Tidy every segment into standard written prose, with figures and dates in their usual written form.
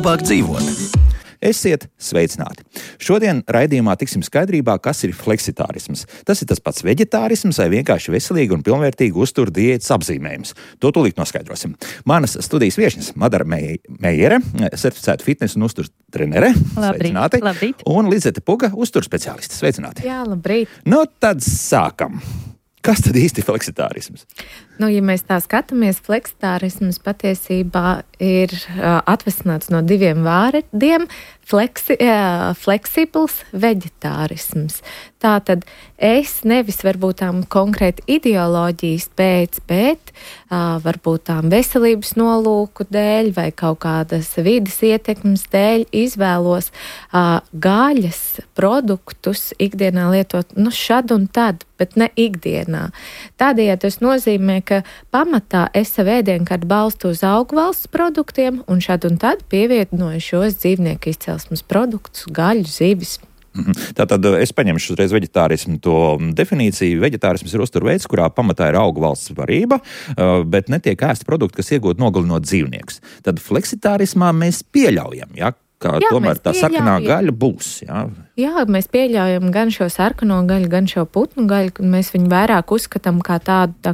labāk dzīvot. Esiet sveicināti! Šodien raidījumā tiksim skaidrībā, kas ir fleksitārisms. Tas ir tas pats veģetārisms vai vienkārši veselīga un pilnvērtīga uztura diētas apzīmējums. To tūlīt noskaidrosim. Manas studijas viešņas Madara Meijere, certificēta fitnesa un uzturs trenere. Sveicināti! Labrīt! Un Lizete Puga, uzturs speciāliste. Sveicināti! Jā, labrīt! Nu, tad sākam! Kas tad īsti fleksitārisms? Ja mēs tā skatāmies, fleksitārisms patiesībā ir atvesināts no diviem vārdiem - fleksibls veģetārisms. Tātad es nevis varbūt tām konkrēti ideoloģijas pēc, bet varbūt tām veselības nolūku dēļ vai kaut kādas vides ietekmes dēļ izvēlos gaļas produktus ikdienā lietot šad un tad, bet ne ikdienā. Tādējādi tas nozīmē, ka pamatā es savu ēdienkarti balstu uz augvalsts produktiem un šad un tad pievienoju šos dzīvnieku izcelsmes produktus, gaļu, zivis. Tātad es paņemšu uzreiz veģetārismu to definīciju. Veģetārisms ir uzturveids, kurā pamatā ir augvalsts barība, bet netiek ēsti produkti, kas iegūt nogalinot dzīvniekus. Tad fleksitārismā mēs pieļaujam, ka tomēr tā sarkanā gaļa būs. Jā, mēs pieļaujam gan šo sarkano gaļu, gan šo putnu gaļu, ka mēs viņu vairāk uzskatām kā tādu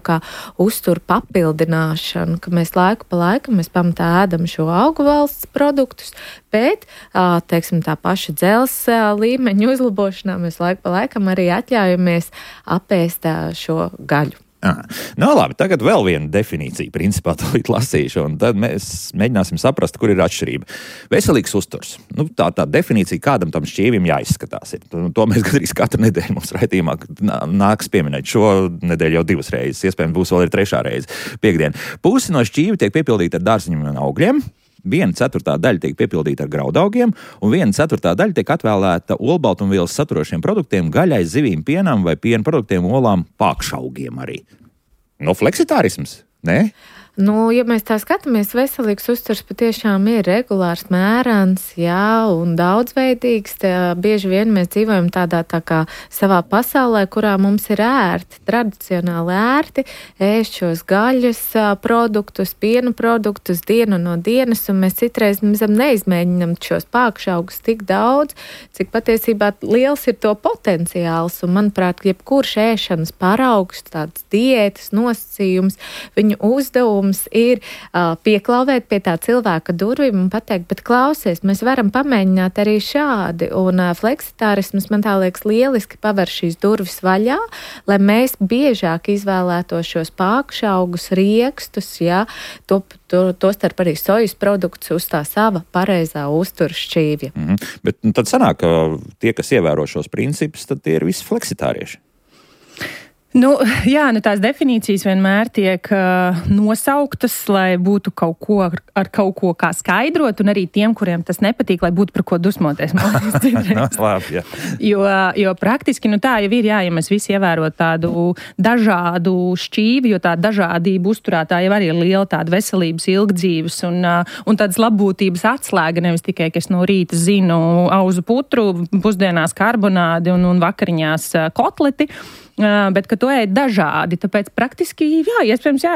uzturu papildināšanu, ka mēs laiku pa laikam mēs pamatā ēdam šo augu valsts produktus, bet, teiksim, tā paša dzelzs līmeņa uzlabošanā mēs laiku pa laikam arī atļaujamies apēst šo gaļu. Labi, tagad vēl viena definīcija, principā tūlīt lasīšu, un tad mēs mēģināsim saprast, kur ir atšķirība. Veselīgs uzturs. Tā definīcija, kādam tam šķīvim jāizskatās. To mēs gandrīz katru nedēļu mums raidījumā nāks pieminēt. Šo nedēļu jau 2 reizes, iespējams būs vēl ir 3. reize piekdien. Pusi no šķīvi tiek piepildīta ar dārziņiem un augļiem. 1/4 daļa tiek piepildīta ar graudaugiem, un 1/4 daļa tiek atvēlēta olbaltumvielas saturošiem produktiem, gaļai, zivīm, pienam vai piena produktiem, olām, pākšaugiem arī. Fleksitārisms, ne? Ja mēs tā skatāmies, veselīgs uzturs patiešām ir regulārs, mērens, un daudzveidīgs. Bieži vien mēs dzīvojam tādā kā savā pasaulē, kurā mums ir ērti, tradicionāli ērti ēst šos gaļas produktus, piena produktus dienu no dienas, un mēs citreiz neizmēģinam šos pākšaugus tik daudz, cik patiesībā liels ir to potenciāls. Un, manuprāt, jebkurš ēšanas paraugs, tāds diētas nosacījums, viņu uzdevums ir pieklauvēt pie tā cilvēka durvīm un pateikt, bet klausies, mēs varam pamēģināt arī šādi. Un fleksitārisms, man tā liekas, lieliski paver šīs durvis vaļā, lai mēs biežāk izvēlētos šos pākšaugus, riekstus, tostarp arī sojas produktus uz tā sava pareizā uztura šķīvja. Bet tad sanāk, ka tie, kas ievēro šos principus, tad tie ir visi fleksitārieši. Tās definīcijas vienmēr tiek nosauktas, lai būtu kaut ko ar kaut ko kā skaidrot, un arī tiem, kuriem tas nepatīk, lai būtu par ko dusmoties. Labi, jo praktiski tā jau ir, ja mēs visi ievērot tādu dažādu šķīvi, jo tā dažādība uzturā tā jau arī ir liela tāda veselības, ilgdzīves un tādas labbūtības atslēga, nevis tikai, ka es no rīta zinu auzu putru, pusdienās karbonādi un vakariņās kotleti. Bet, ka to ēd dažādi, tāpēc praktiski, iespējams,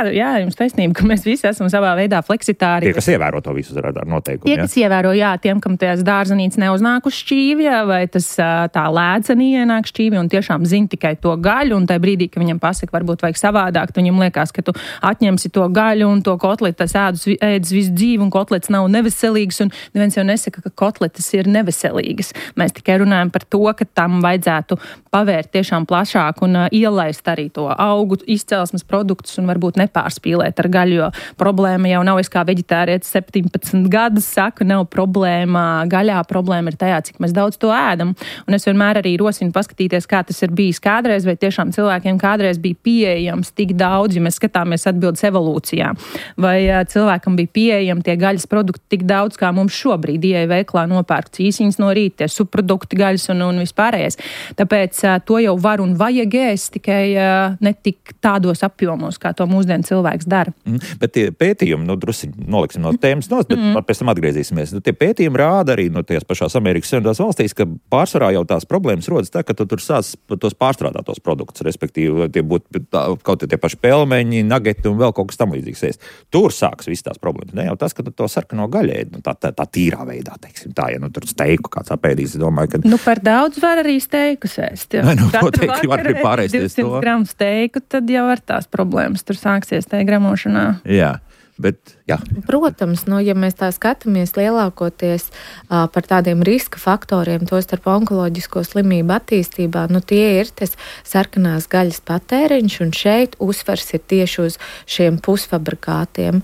jums taisnība, ka mēs visi esam savā veidā fleksitāri. Tie, kas ievēro to visu ar noteikumu. Tie, kas ievēro, tiem, kam tās dārzenītes neuznāk uz šķīvja, vai tas tā lēdzeni ienāk šķīvja un tiešām zina tikai to gaļu, un tajā brīdī, ka viņam pasaka, varbūt vajag savādāk, viņam liekas, ka tu atņemsi to gaļu un to kotleti, tas ēdus visu dzīvi, un kotlets nav neveselīgs, un neviens jau nesaka, ka kotletes ir neveselīgas. Mēs tikai runājam par to, ka tam vajadzētu pavērt tiešām plašāk un ielaist arī to augu izcelsmes produktus un varbūt nepārspīlēt ar gaļu, jo problēma jau nav, es kā veģetārietis 17 gadus saku, nav problēma gaļā, problēma ir tajā, cik mēs daudz to ēdam. Un es vienmēr arī rosinu paskatīties, kā tas ir bijis kādreiz, vai tiešām cilvēkiem kādreiz bija pieejams tik daudz, ja mēs skatāmies atbildes evolūcijā. Vai cilvēkam bija pieejami tie gaļas produkti tik daudz, kā mums šobrīd ieeja veiklā nopērk cīsiņas no rīta, tie subprodukti gaļas un vispārējais. Tāpēc to jau var un vajag līdzīgi ēst, tikai ne tik tādos apjomos, kā to mūsdienu cilvēks dara. Bet tie pētījumi, drusciņi noliksim no tēmas nost, bet pēc tam atgriezīsimies. Tie pētījumi rāda arī no tās pašās Amerikas Savienotās valstīs, ka pārsvarā jau tās problēmas rodas tā, ka tu tur sāc tos pārstrādātos produktus, respektīvi tie būtu kaut tie paši pelmeņi, nageti un vēl kaut kas tam līdzīgs ēst. Tur sāks viss tās problēmas. Ne jau tas, ka to sarkano gaļu ēd, tā tīrā veidā, teiksim, tā, ja tur steiku kāds apēdīs, es domāju, ka... Par daudz var arī steikus ēst. Noteikti var arī pārēsties to. 200 gramu steiku, tad jau ar tās problēmas tur sāksies tajā gramošanā. Jā. Bet, jā. Protams, ja mēs tā skatāmies lielākoties par tādiem riska faktoriem, to starp onkoloģisko slimību attīstībā, tie ir tas sarkanās gaļas patēriņš, un šeit uzsvars ir tieši uz šiem pusfabrikātiem,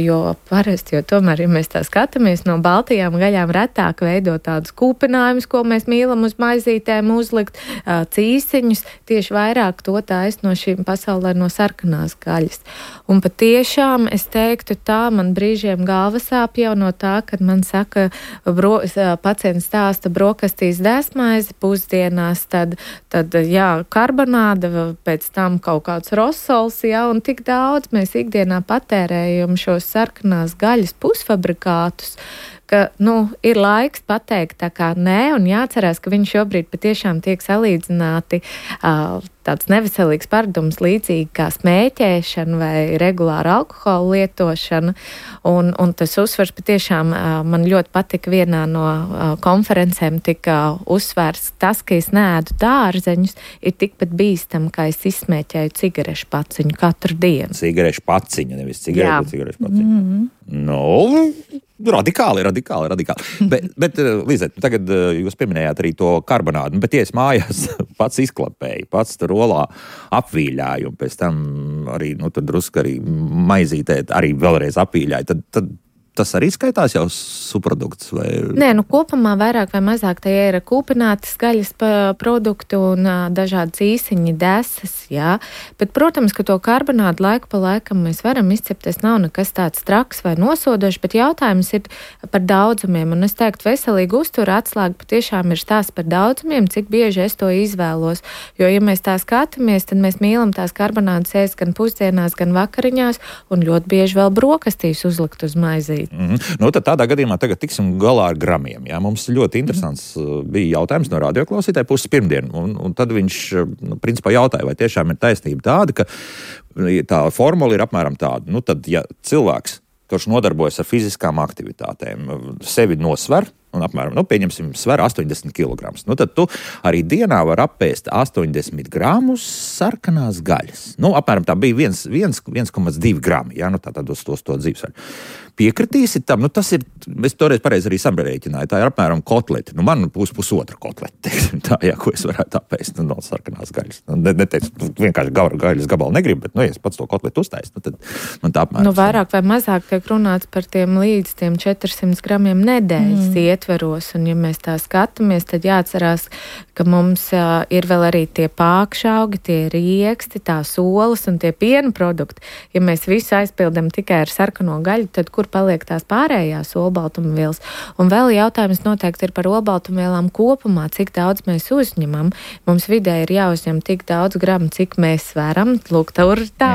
jo parasti, tomēr, ja mēs tā skatāmies, no baltajām gaļām retāk veido tādus kūpinājumus, ko mēs mīlam uz maizītēm uzlikt, cīsiņus, tieši vairāk to taisa no šīm pasaulē no sarkanās gaļas. Un patiešām es teiktu tā, man brīžiem galva sāp jau no tā, kad man saka, pacients stāsta brokastīs dēsmaizi pusdienās, tad karbonāda, pēc tam kaut kāds rosols, un tik daudz mēs ikdienā patērējam šos sarkanās gaļas pusfabrikātus, ka, ir laiks pateikt tā kā nē, un jāatcerās, ka viņi šobrīd patiešām tiek salīdzināti tāds neveselīgs paradums līdzīgi kā smēķēšana vai regulāra alkohola lietošana, un tas uzsvars patiešām man ļoti patika vienā no konferencēm tika uzsvērts tas, ka es neēdu dārzeņus, ir tikpat bīstam, kā es izsmēķēju cigarešu paciņu katru dienu. Cigarešu paciņu, nevis cigarešu paciņu. Radikāli. Bet Līzet, tagad jūs pieminējāt arī to karbonādu, bet ja es mājās pats izklapēju, pats tur olā apvīļāju, un pēc tam arī, tad drusku arī maizītē arī vēlreiz apvīļāju, tad tas arī skaitās jau subprodukts? Vai... Nē, kopumā vairāk vai mazāk tie ir kūpinātas gaļas produkti un dažādi cīsiņi, desas, jā. Bet, protams, ka to karbonādu laiku pa laikam mēs varam izcepties, nav nekas tāds traks vai nosodošs, bet jautājums ir par daudzumiem. Un es teiktu, veselīgi uztura atslēga patiešām ir stāsts par daudzumiem, cik bieži es to izvēlos. Jo, ja mēs tā skatāmies, tad mēs mīlam tās karbonādas ēst gan pusdienās, gan vakariņās, un ļoti bieži vēl brokastīs uzlikt uz maizīt. Tad tādā gadījumā tagad tiksim galā ar gramiem. Jā. Mums ļoti interesants bija jautājums no radioklausītāja puses pirmdien, un tad viņš principā jautāja, vai tiešām ir taisnība tāda, ka tā formula ir apmēram tāda. Tad, ja cilvēks, kurš nodarbojas ar fiziskām aktivitātēm, sevi nosver, un apmēram, pieņemsim, sver 80 kg. Tad tu arī dienā var apēst 80 gramus sarkanās gaļas. Apmēram tā bija 1,2 grami, tātad uz to dzīvesvaļu. Piekritīsi tam, tas ir, es toreiz pareizi arī samrēķināju, tā ir apmēram kotleti. Man pusotra kotleti, teiksim tā, ko es varētu apēst no sarkanās gaļas. Neteicu, vienkārši gaļas gabalu negribu, bet, ja es pats to kotletu uztaisu, tad man tā apmēram. Vairāk vai mazāk tiek runāts par tiem līdz tiem 400 gramiem nedēļas ietveros, un ja mēs tā skatāmies, tad jāatcerās, ka mums ir vēl arī tie pākšaugi, tie rieksti, tās olas un tie piena produkti. Ja mēs visu aizpildam tikai ar sarkano gaļu, tad kur paliek tās pārējās olbaltumvielas? Un vēl jautājums noteikti ir par olbaltumvielām kopumā, cik daudz mēs uzņemam. Mums vidē ir jāuzņem tik daudz gramu, cik mēs sveram. Lūk, tur tā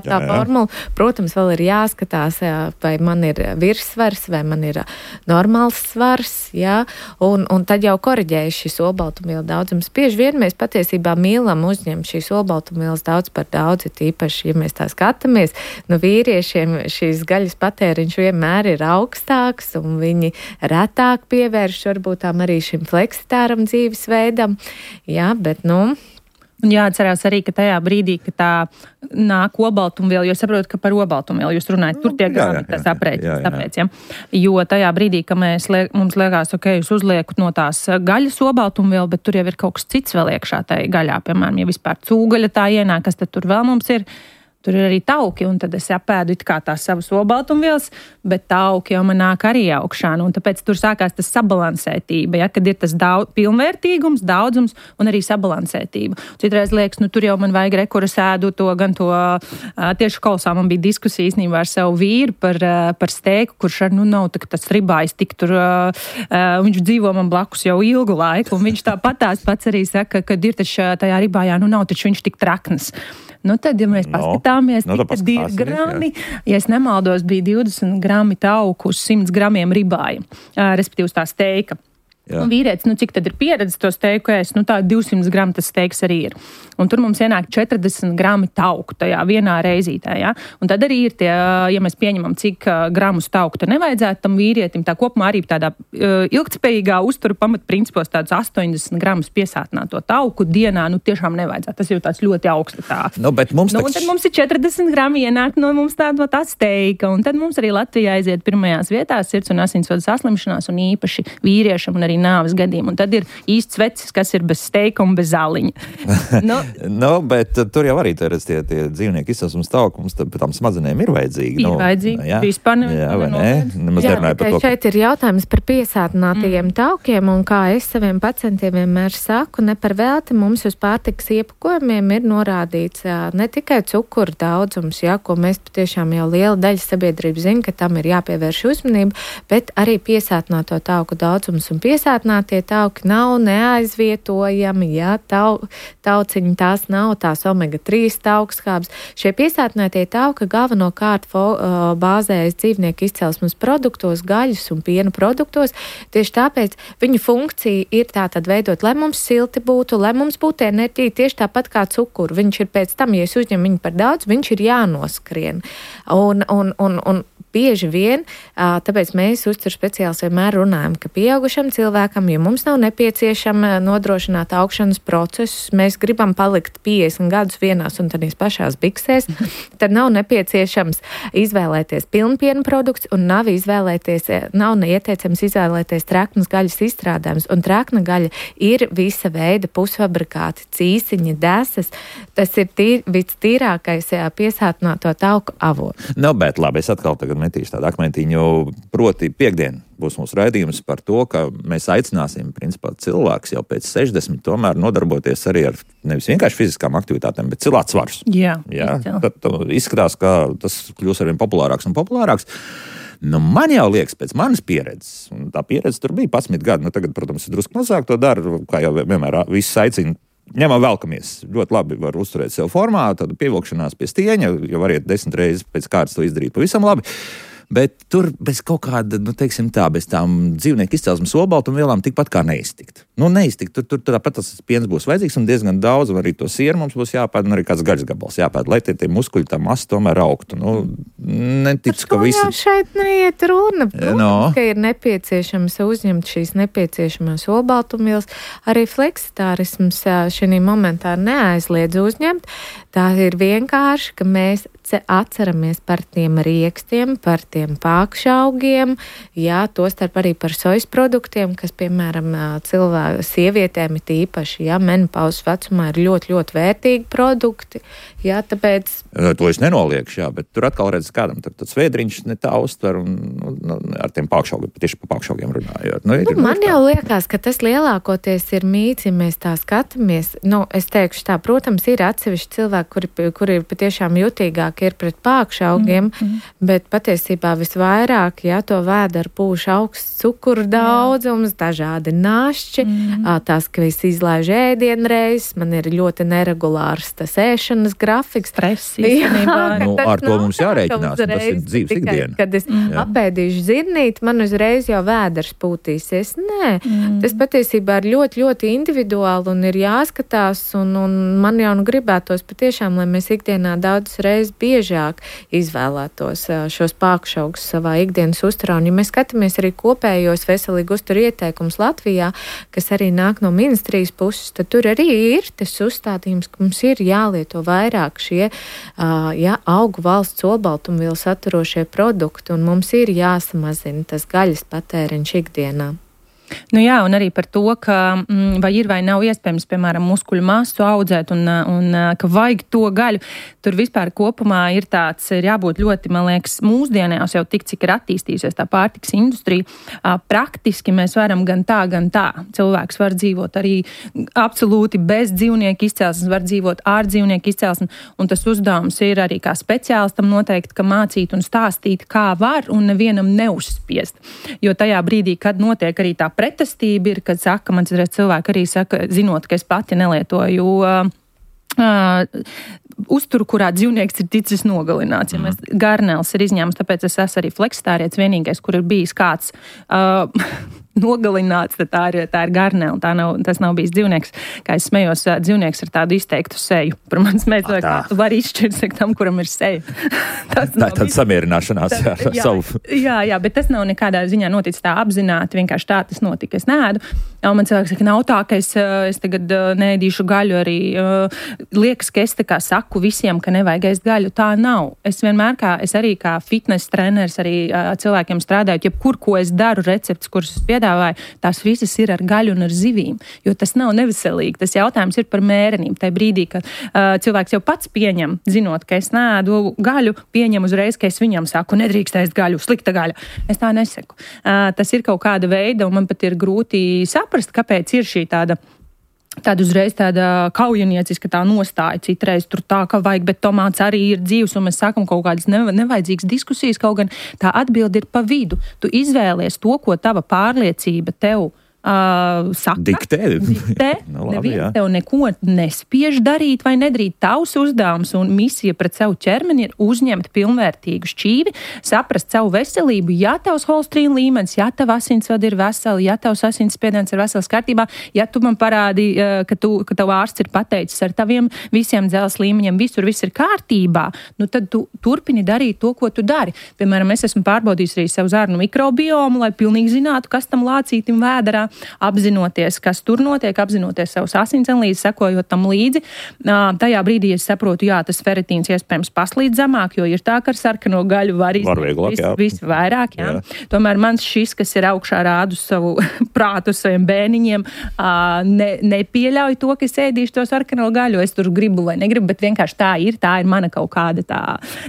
formula. Protams, vēl ir jāskatās, vai man ir virssvars, vai man ir normāls svars, jā, un tad jau koriģējas šis olbaltumvielu daudzums. Bieži vien mēs patiesībā mīlam uzņemt šīs olbaltumvielas daudz par daudz, tīpaši, ja mēs tā skatāmies, vīriešiem šīs gaļas patēriņš vienmēr ir augstāks, un viņi retāk pievērš varbūt tām arī šim fleksitāram dzīvesveidam. Jā, bet, Un jāatcerās arī, ka tajā brīdī, ka tā nāk olbaltumviela, jo saprotu, ka par olbaltumvielu jūs runājat, tur tiek tas aprēķins, tāpēc, ja. Jo tajā brīdī, ka mums liekas, jūs uzliekat no tās gaļas olbaltumvielu, bet tur jau ir kaut kas cits vēl iekšā tai gaļā, piemēram, ja vispār cūgaļa tā ienāk, kas tad tur vēl mums ir, tur ir arī tauki, un tad es apēdu it kā tās savas olbaltumvielas, bet tauki jau man nāk arī augšā, un tāpēc tur sākās tas sabalansētība, ja, kad ir tas pilnvērtīgums, daudzums un arī sabalansētība. Citreiz liekas, tur jau man vajag rekurs ēdu to, gan to, tieši kolosā man bija diskusija īstenībā ar savu vīru par steiku, kurš ar, nav tas ribājs tik tur, viņš dzīvo man blakus jau ilgu laiku, un viņš tāpatās pats arī saka, kad ir taču tajā ribājā, nav taču viņš tik trakns. Tad, ja mēs paskatāmies, tad 2 grami, ja es nemaldos, bija 20 grami tauku uz 100 gramiem ribāja, respektīvi tā steika. Un vīrietis, cik tad ir pieredze to steiku ēst, tā 200 gramu tas steiks arī ir. Un tur mums ienāk 40 grami tauku tajā vienā reizītē, ja? Un tad arī ir tie, ja mēs pieņemam, cik gramus tauku te nevajadzētu tam vīrietim, tā kopumā arī tādā ilgtspējīgā uzturu pamatprincipos tādus 80 gramus piesātināto tauku dienā, tiešām nevajadzētu. Tas jau tāds ļoti augsta tā. Bet mums un tad mums ir 40 grami ienāk mums tā steika, un tad mums arī Latvijā aiziet pirmajās vietās sirds un asinsvadu saslimšanās, un īpaši vīriešam un arī nāves gadiem. Un tad ir īsts vecis, kas ir bez steika un bez zāliņa. Bet tur jau arī tie dzīvnieki izcelsmes tauki, mums pēc tām smadzenēm ir vajadzīgi. Ir vajadzīgi. Vispār nevar. Šeit ir jautājums par piesātinātajiem taukiem, un kā es saviem pacientiem vienmēr saku, ne par velti mums uz pārtikas iepakojumiem ir norādīts ne tikai cukuru daudzums, ko mēs patiešām jau liela daļa sabiedrības zina, ka tam ir jāpievērš uzmanība, bet arī piesātināto tauku daudzums un piesātinātie tauki nav neaizvietojami, tauciņi tās nav, tās omega-3 taukskābes. Šie piesātinātie tauki galvenokārt bāzējas dzīvnieku izcelsmes produktos, gaļas un piena produktos. Tieši tāpēc viņu funkcija ir tātad veidot, lai mums silti būtu, lai mums būtu enerģija, tieši tāpat kā cukuru. Viņš ir pēc tam, ja es uzņemu viņu par daudz, viņš ir jānoskrien. Un bieži vien, tāpēc mēs uzturu speciālisti vienmēr runājam, ka pieaugušam cilvēkam, ja mums nav nepieciešama nodrošināt augšanas procesus, mēs gribam palikt 50 gadus vienās un tādīs pašās biksēs, tad nav nepieciešams izvēlēties pilnpiena produkts un nav neieteicams izvēlēties traknas gaļas izstrādājumus. Un trakna gaļa ir visa veida pusfabrikāti, cīsiņi, desas. Tas ir vistīrākais piesātināto tauku avots. Bet labi, es atkal tagad metīšu tādu akmentiņu, proti piekdien būs mūsu raidījums par to, ka mēs aicināsim, principā, cilvēks jau pēc 60 tomēr nodarboties arī ar nevis vienkārši fiziskām aktivitātēm, bet cilāt svarus. Jā. Tad izskatās, ka tas kļūs arvien populārāks un populārāks. Man jau liekas, pēc manas pieredzes, un tā pieredze tur bija 11 gadi, tagad, protams, ir drusku mazāk to dara, kā jau vienmēr viss aicina. Ņemam velkamies. Ļoti labi var uzturēt sev formā, tādu pievilkšanās pie stieņa, jo variet 10 reizes pēc kārtas to izdarīt pavisam labi. Bet tur bez kaut kāda, bez tām dzīvnieku izcelsmes olbaltumvielām tikpat kā neiztikt. Neiztikt. Tur tāpat tas piens būs vajadzīgs un diezgan daudz, un arī to sieru mums būs jāpēd, un arī kāds gaļas gabals jāpēd, lai tie muskuļi, tā masa tomēr augtu. Neticu, ka visi... Šeit neiet runa. Protams, ka ir nepieciešams uzņemt šīs nepieciešamās olbaltumvielas. Arī fleksitārisms šī momentā neaizliedz uzņemt. Tā ir vienkārši, ka mēs atceramies par tiem riekstiem, par tiem pākšaugiem, tostarp arī par sojas produktiem, kas, piemēram, sievietēm ir īpaši, menopauzes vecumā ir ļoti, ļoti vērtīgi produkti, tāpēc... To es nenoliekšu, bet tur atkal redz kādam, tad svēdriņš ne tā uztver un ar tiem pākšaugiem, tieši par pākšaugiem runājot. Man jau liekas, ka tas lielākoties ir mīts, ja mēs tā skatāmies. Es teikšu tā, protams, ir atsevišķi cilvēki, kuri ir patiešām jutīgāki ir pret pākšaugiem, bet patiesībā visvairāk, to vēd ar pūšu augsts cukuru daudzums, dažādi našķi, tās, ka viss izlaiž ēdienreizes, man ir ļoti neregulārs tas ēšanas grafiks. Stress, ar to mums jārēķinās, tas ir dzīves ikdiena. Kad es apēdīšu zirnīti, man uzreiz jau vēders pūtīsies. Nē, tas patiesībā ir ļoti, ļoti individuāli un ir jāskatās, un man jau gribētos patiešām, lai mēs ikdienā daudzas reizes biežāk izvēlētos šos pākšaugus savā ikdienas uzturā. Un, ja mēs skatāmies arī kopējos veselīgu uzturu ieteikumus Latvijā, kas arī nāk no ministrijas puses, tad tur arī ir tas uzstādījums, ka mums ir jālieto vairāk šie augu valsts olbaltumvielu saturošie produkti, un mums ir jāsamazina tas gaļas patēriņš ikdienā. Nu jā, un arī par to, ka vai ir vai nav iespējams, piemēram, muskuļu masu audzēt un ka vajag to gaļu. Tur vispār kopumā ir jābūt ļoti, man liekas, mūsdienās jau tik, cik ir attīstījusies tā pārtiks industrija. Praktiski mēs varam gan tā. Cilvēks var dzīvot arī absolūti bez dzīvnieku izcelsmes, var dzīvot ar dzīvnieku izcelsmi, un tas uzdevums ir arī kā speciālistam noteikti, ka mācīt un stāstīt, kā var, un nevienam neuzspiest. Jo tajā brīdī, kad notiek arī tā pretestība, ir, kad saka, man citreiz cilvēki arī saka, zinot, ka es pati nelietoju uzturu, kurā dzīvnieks ir ticis nogalināts. Ja garnēls ir izņēmums, tāpēc es esmu arī fleksitārietis vienīgais, kur ir bijis kāds nogalināts, tad tā ir garnēla. Tas nav bijis dzīvnieks. Kā es smējos, dzīvnieks ar tādu izteiktu seju. Par manis mēs tu vari izšķirt tam, kuram ir seja. Tā ir tāda samierināšanās ar savu. Jā, bet tas nav nekādā ziņā noticis tā apzināti, vienkārši tā tas notika. Es neēdu. Un man cilvēks saka, nav tā, ka es tagad neēdīšu gaļu arī. Liekas, ka es tā kā saku visiem, ka nevajag ēst gaļu. Tā nav. Es vienmēr es arī kā fitness treneris arī cilvēkiem strādāju, jebkur, ko es daru, recepts, kurus es piedāvāju, tās visas ir ar gaļu un ar zivīm, jo tas nav neveselīgi. Tas jautājums ir par mērenību. Tajā brīdī, kad cilvēks jau pats pieņem, zinot, ka es neēdu gaļu, pieņem uzreiz, ka es viņam saku, nedrīkst ēst gaļu, slikta gaļa. Es tā nesaku. Tas ir kaut kāda veida, un man pat ir grūti saprast, kāpēc ir šī tāda uzreiz tāda kaujanieciska tā nostāja. Citreiz tur tā, ka vajag, bet tomāts arī ir dzīvs, un mēs sākam kaut kādas nevajadzīgas diskusijas, kaut gan tā atbilde ir pa vidu. Tu izvēlies to, ko tava pārliecība tev saka. Diktē. No, labi, neviens tev neko nespiež darīt vai nedarīt. Tavs uzdevums un misija pret savu ķermeni ir uzņemt pilnvērtīgu šķīvi, saprast savu veselību, ja tavs holesterīna līmenis, ja tava asinsvadi ir veseli, ja tavs asinsspiediens ir vesels kārtībā, ja tu man parādi, ka tavu ārsts ir pateicis ar taviem visiem dzelzs līmeņiem, viss ir kārtībā, nu tad tu turpini darīt to, ko tu dari. Piemēram, es esmu pārbaudījis arī savu zarnu mikrobiomu, lai pilnīgi zinātu, kas tam lācītim vēderā, apzinoties, kas tur notiek, apzinoties savus asinsanlīdzi, sekojot tam līdzi. Tajā brīdī es saprotu, jā, tas feritīns iespējams paslīd zemāk, jo ir tā, ka ar sarkano gaļu var vairāk. Jā. Tomēr mans šis, kas ir augšā rādu savu prātu saviem bērniņiem, nepieļauj to, ka es ēdīšu to sarkano gaļu. Es tur gribu vai negribu, bet vienkārši tā ir mana kaut kāda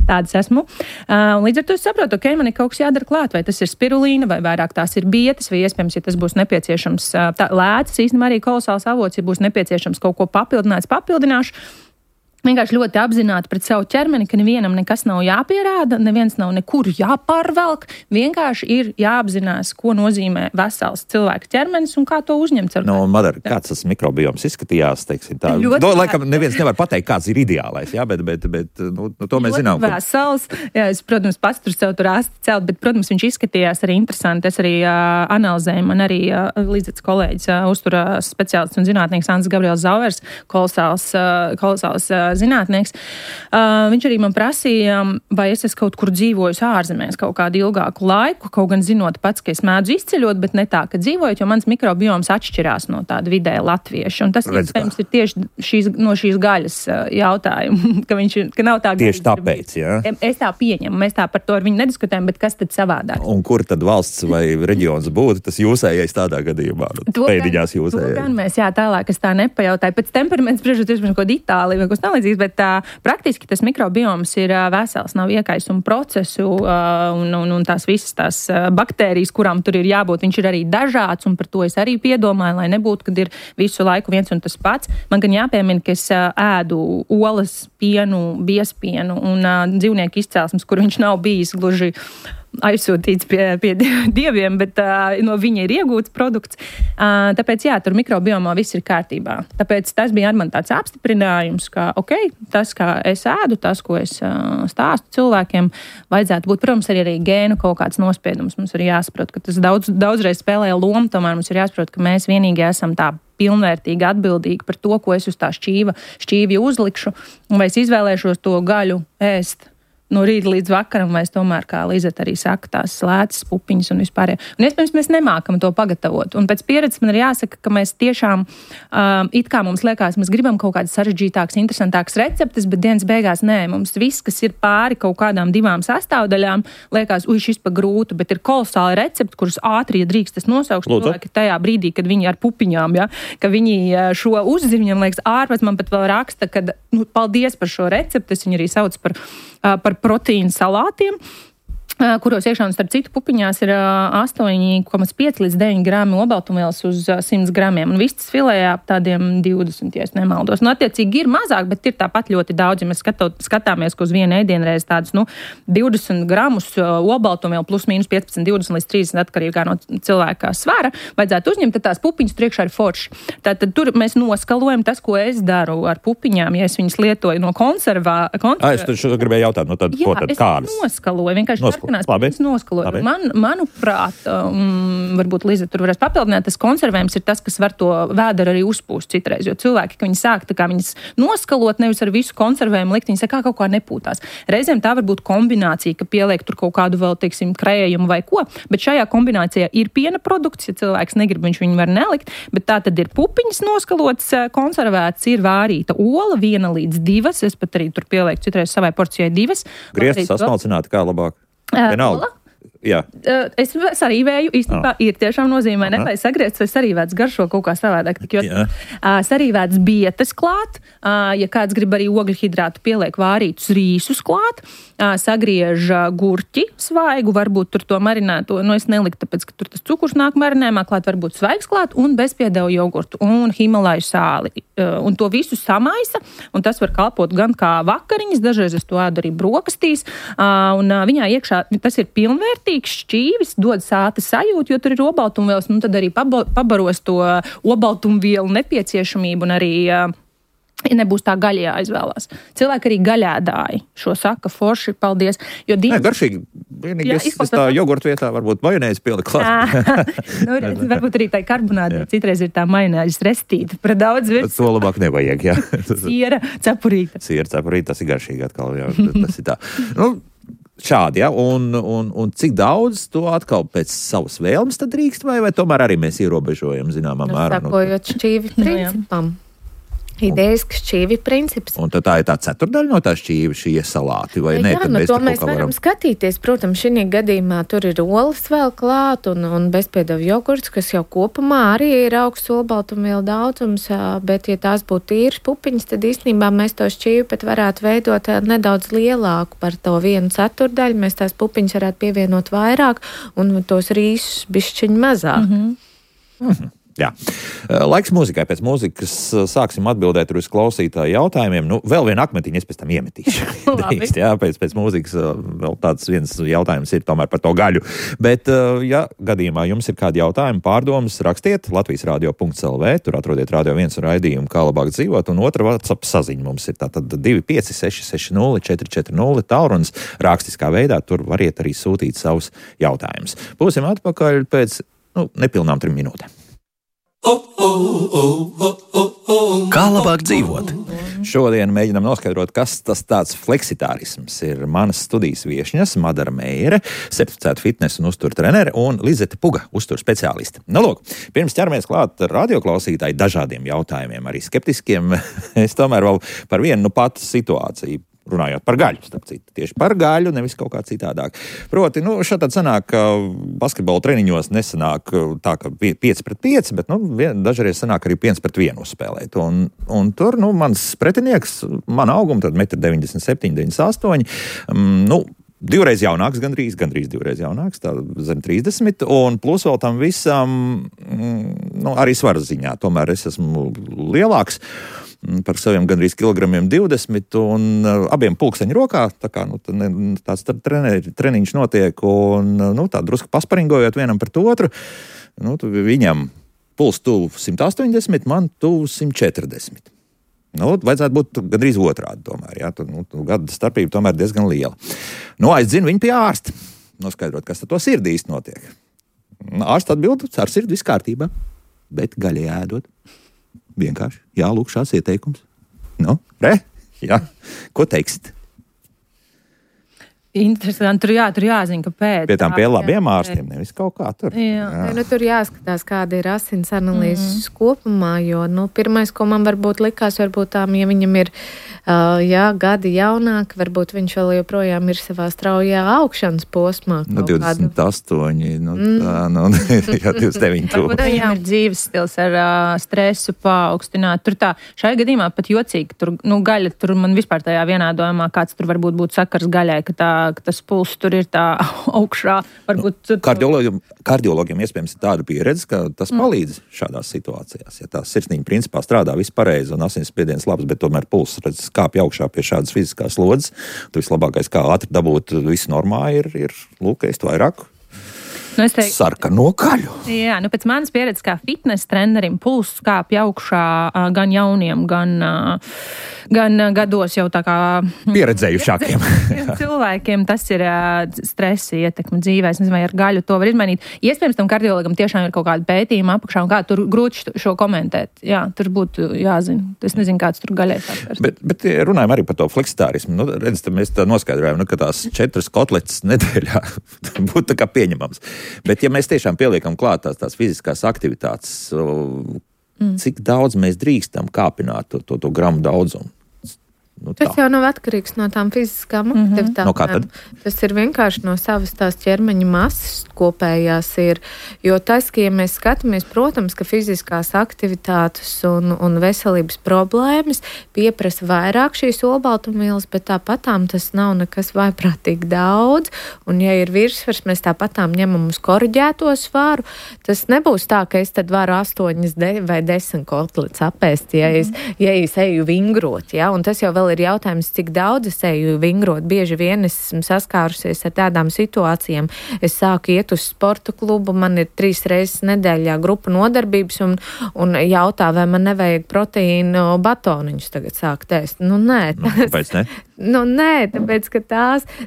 tādas esmu. Un līdz ar to es saprotu, ok, man ir kaut kas jādara klāt, vai tas ir spirulīna, vai vairāk tās ir bietas, vai iespējams, ja tas būs nepieciešams lēcas, īstenībā arī kolosāls avots, ja būs nepieciešams kaut ko papildināšu. Vienkārši ļoti apzināti pret savu ķermeni, ka nevienam nekas nav jāpierāda, neviens nav nekur jāpārvelk. Vienkārši ir jāapzinās, ko nozīmē vesels cilvēka ķermenis un kā to uzņemt. Madara, kāds tas mikrobioms izskatījās, teiksim tā? Laikam neviens nevar pateikt, kāds ir ideālais, jā, bet to mēs zinām. Vesels, jā, es, protams, pats tur sev tur asti celt, bet, protams, viņš izskatījās arī interesanti. Es arī analizēju, man arī līdzekts kolēģis, uzturās speciālists un zinātnieks Ants Gabriels Zauvers, kolosāls zinātnieks. Viņš arī man prasīja, vai es esmu kaut kur dzīvojis ārzemēs kaut kādu ilgāku laiku, kaut gan zinot pats, ka es mēdzu izceļot, bet ne tā, ka dzīvojot, jo mans mikrobioms atšķirās no tāda vidēja latvieša. Un tas, iespējams, ir tieši no šīs gaļas jautājumu, ka nav tā gaļas. Tieši tāpēc, jā? Es tā pieņemu, mēs tā par to ar viņu nediskutējam, bet kas tad savādāk? Un kur tad valsts vai reģions būtu tas jūsējais tādā gadījumā? Pēdiņās jūsējais. To gan mēs, jā, tālāk es tā nepajautāju. Pēc temperaments spriežot, kaut ko Itāliju vai kaut ko bet praktiski tas mikrobioms ir vesels, nav iekaisuma procesu un tās visas tās baktērijas, kurām tur ir jābūt, viņš ir arī dažāds, un par to es arī piedomāju, lai nebūtu, kad ir visu laiku viens un tas pats. Man gan jāpiemina, ka es ēdu olas, pienu, biespienu un dzīvnieku izcelsmes, kur viņš nav bijis gluži aizsūtīts pie dieviem, bet no viņa ir iegūts produkts. Tāpēc, jā, tur mikrobiomā viss ir kārtībā. Tāpēc tas bija ar man tāds apstiprinājums, ka, ok, tas, kā es ēdu, tas, ko es stāstu cilvēkiem, vajadzētu būt, protams, arī gēnu kaut kāds nospiedums. Mums ir jāsaprot, ka tas daudzreiz spēlē lomu, tomēr mums ir jāsaprot, ka mēs vienīgi esam tā pilnvērtīgi atbildīgi par to, ko es uz tā šķīvi uzlikšu, un vai es izvēlēšos to gaļu ēst no rīta līdz vakaram, vai es tomēr, kā Lizeta arī saka, tās lētas pupiņas un vispār. Un iespējams, mēs nemākam to pagatavot. Un pēc pieredzes man ir jāsaka, ka mēs tiešām, it kā mums liekas, mēs gribam kaut kādas sarežģītākas, interesantākas receptes, bet dienas beigās nē, mums viss, kas ir pāri kaut kādām 2 sastāvdaļām, liekas, šis pa grūtu, bet ir kolosāli recepti, kurus ātri, ja drīkst, tas nosaukšu cilvēki tajā brīdī, kad viņi ar pupiņām, ja, ka viņi šo uzzina, viņam liekas, ārpēc man pat vēl raksta, ka, paldies par šo recepti, es viņu arī sauc par proteīnu salātiem, kuros iekšā, un starp citu pupiņās ir 8,5 līdz 9 grami obaltumvielas uz 100 gramiem, un vistas filējā ap tādiem 20, ja es nemaldos. Nu, attiecīgi ir mazāk, bet ir tāpat ļoti daudz, ja mēs skatāmies, ka uz vienu ēdienreiz tādus, 20 gramus obaltumvielu plus mīnus 15, 20 līdz 30 atkarīgā no cilvēka svara, vajadzētu uzņemt, tad tās pupiņas tur iekšā ir forši. Tātad tur mēs noskalojam tas, ko es daru ar pupiņām, ja es viņas lietoju no Es tur gribēju jautāt, tad ko tad kādas? Noskaloju, vienkārši noskaloju. Manuprāt, varbūt Liza tur varēs papildināt, tas konservējums ir tas, kas var to vēderu arī uzpūst citreiz, jo cilvēki, ka viņi sāk tā kā viņas noskalot, nevis ar visu konservējumu likt, viņi saka, kaut kā nepūtās. Reizēm tā var būt kombinācija, ka pieliek tur kaut kādu vēl, teiksim, krējumu vai ko, bet šajā kombinācijā ir piena produkts, ja cilvēks negrib, viņš viņu var nelikt, bet tā tad ir pupiņas noskalots, konservēts, ir vārīta ola, 1 līdz 2, es pat arī tur pielieku citreiz savai porcijai 2. Griezti sasmalcināti, kā labāk? Vienalga. Jā. Es sarīvēju, īstenībā ir tiešām nozīmē, nevajag sagriezt, vai sarīvēts garšo kaut kā savādāk. Sarīvēts bietes klāt, ja kāds grib arī ogļu hidrātu, pieliek vārītus rīsus klāt, sagriež gurķi svaigu, varbūt tur to marinēto, es neliku, tāpēc, ka tur tas cukurs nāk marinējumā klāt, varbūt svaigs klāt, un bezpiedevu jogurtu, un himalaju sāli. Un to visu samaisa, un tas var kalpot gan kā vakariņas, dažreiz es to ēdu arī brokastīs, un viņā iekšā tas ir pilnvērtīgi, šķīvis, dod sāta sajūtu, jo tur ir obaltumvielas, tad arī pabaros to obaltumvielu nepieciešamību un arī nebūs tā gaļa jāizvēlās. Cilvēki arī gaļēdāji šo saka, forši, paldies. Jo garšīgi, vienīgi es tā jogurtu vietā varbūt majonēzi pieliku klāt. Varbūt arī tā karbonāta, citreiz ir tā majonēzes restīta par daudz virs. To labāk nevajag, jā. Siera cepurīta. Tas ir garšīgi atkal, jā. Tas ir tā. Šādi, ja, un cik daudz to atkal pēc savas vēlmes tad drīkst, vai tomēr arī mēs ierobežojam zināmā mērā? Sakojot šķīvi principam. Idejas šķīvi princips. Un tad tā ir tā ceturdaļa no tā šķīvi, šie salāti, vai ne? Jā, to mēs varam skatīties. Protams, šī gadījumā tur ir olas vēl klāt un bezpiedevu jogurts, kas jau kopumā arī ir augsts olbaltumvielu daudzums, bet ja tās būtu tīras pupiņas, tad īstenībā mēs to šķīvi pat varētu veidot nedaudz lielāku par to 1/4. Mēs tās pupiņas varētu pievienot vairāk un tos rīsus bišķiņ mazāk. Jā. Laiks mūzikai. Pēc mūzikas sāksim atbildēt uz klausītāju jautājumiem. Vēl vienu akmetiņu es pēc tam iemetīšu. Drīkst, jā, pēc mūzikas vēl tāds viens jautājums ir tomēr par to gaļu. Bet, ja gadījumā jums ir kādi jautājumi, pārdomas, rakstiet latvijasradio.lv, tur atrodiet Radio 1 raidījumu, kā labāk dzīvot, un otra WhatsApp saziņa mums ir tātad 25660 440 tālrunis rakstiskā veidā, tur variet arī sūtīt savus jautājumus. Būsim atpakaļ pēc, nepilnām 3 minūtēm. Kā labāk dzīvot? Šodien mēģinām noskaidrot, kas tas tāds fleksitārisms ir. Manas studijas viešņas Madara Meire, certificēta fitnesa un uztura trenere, un Lizete Puga, uztura speciāliste. Lūk, pirms ķeramies klāt radioklausītāji dažādiem jautājumiem, arī skeptiskiem, es tomēr vēl par vienu patu situāciju. Runājot par gaļu, starp citu. Tieši par gaļu, nevis kaut kā citādāk. Proti, šādi sanāk, ka basketbola treniņos nesanāk tā, ka 5-5, bet, dažreiz sanāk arī 5-1 uzspēlēt. Un tur, mans pretinieks, man auguma, tad 1,97 m, 98 divreiz jaunāks, gandrīz divreiz jaunāks, tā zem 30, un plus vēl tam visam, arī svaras ziņā, tomēr es esmu lielāks par saviem gandrīz kilogramiem 20, un abiem pulksteņu rokā, tā kā, tāds treniņš notiek, un, tā drusku pasparingojot vienam pret otru, viņam puls tuvu 180, man tuvu 140. Vajadzētu būt gandrīz otrādi tomēr, jā, gada starpība tomēr diezgan liela. Aizdzinu viņu pie ārsta, noskaidrot, kas tad to sirdī īsti notiek. Ārsts atbild, ar sirdi viss kārtībā, bet gaļa ēdot. Vienkārši, jā, lūk, šāds ieteikums. Jā, ko teiksit? Interesanti, tur jāzina, kāpēc. Pie tām pie labiem ārstiem, nevis kaut kā tur. Jā. Tur jāskatās, kāda ir asins analīzes kopumā, jo, pirmais, ko man varbūt likās, tām, ja viņam ir, gadi jaunāk, varbūt viņš vēl joprojām ir savā straujā augšanas posmā. 28, jā, 29 to. Varbūt viņam ir dzīves stils ar stresu paaugstināt. Tur tā, šajā gadījumā pat jocīgi, tur, gaļa, tur man vispār tajā vienādojumā, kāds tur varbūt būtu sakars gaļai, ka tas pulss tur ir tā augšā. Varbūt... Kardiologiem iespējams ir tāda pieredze, ka tas palīdz šādās situācijās. Ja tās sirsniņa principā strādā viss pareizi un asinsspiediens labs, bet tomēr pulss kāpj augšā pie šādas fiziskās slodzes, tad vislabākais, kā ātri dabūt visu normā, ir ēst vairāk. Sarkano gaļu. Jā, pēc manas pieredzes kā fitness trenerim pulss kāpj augšā gan jauniem, gan gados jau tā kā pieredzējušākiem cilvēkiem. Tas ir stresa ietekme dzīvē. Es nezinu, vai ar gaļu to var izmainīt. Iespējams, tam kardiologam tiešām ir kaut kāda pētījuma apakšā un kā tur grūti šo komentēt. Jā, tur būtu jāzina. Es nezinu, kāds tur gaļai sākars. Bet runājam arī par to fleksitārismu. Redz, mēs tā noskaidrojam, ka tās 4 kotletes nedēļā būtu tā kā pieņemams. Bet ja mēs tiešām pieliekam klāt tās fiziskās aktivitātes, cik daudz mēs drīkstam kāpināt to gramu daudzumu? Tas jau nav atkarīgs no tām fiziskām aktivitātēm. No kā tad? Tas ir vienkārši no savas tās ķermeņa masas kopējās ir. Jo tas, ka ja mēs skatāmies, protams, ka fiziskās aktivitātes un veselības problēmas pieprasa vairāk šīs olbaltumvielas, bet tāpatām tas nav nekas vaiprātīgi daudz. Un ja ir virsvars, mēs tāpatām ņemam uz koriģēto svaru. Tas nebūs tā, ka es tad varu 8 vai 10 kotletes apēst, ja es eju vingrot. Ja? Un tas jau vēl ir jautājums, cik daudz es eju vingrot. Bieži vien es esmu saskārusies ar tādām situācijām. Es sāku iet uz sporta klubu, man ir 3 reizes nedēļā grupa nodarbības un jautā, vai man nevajag proteīnu batoniņus tagad sākt ēst. Nē. Kāpēc ne? Nē, tāpēc, ka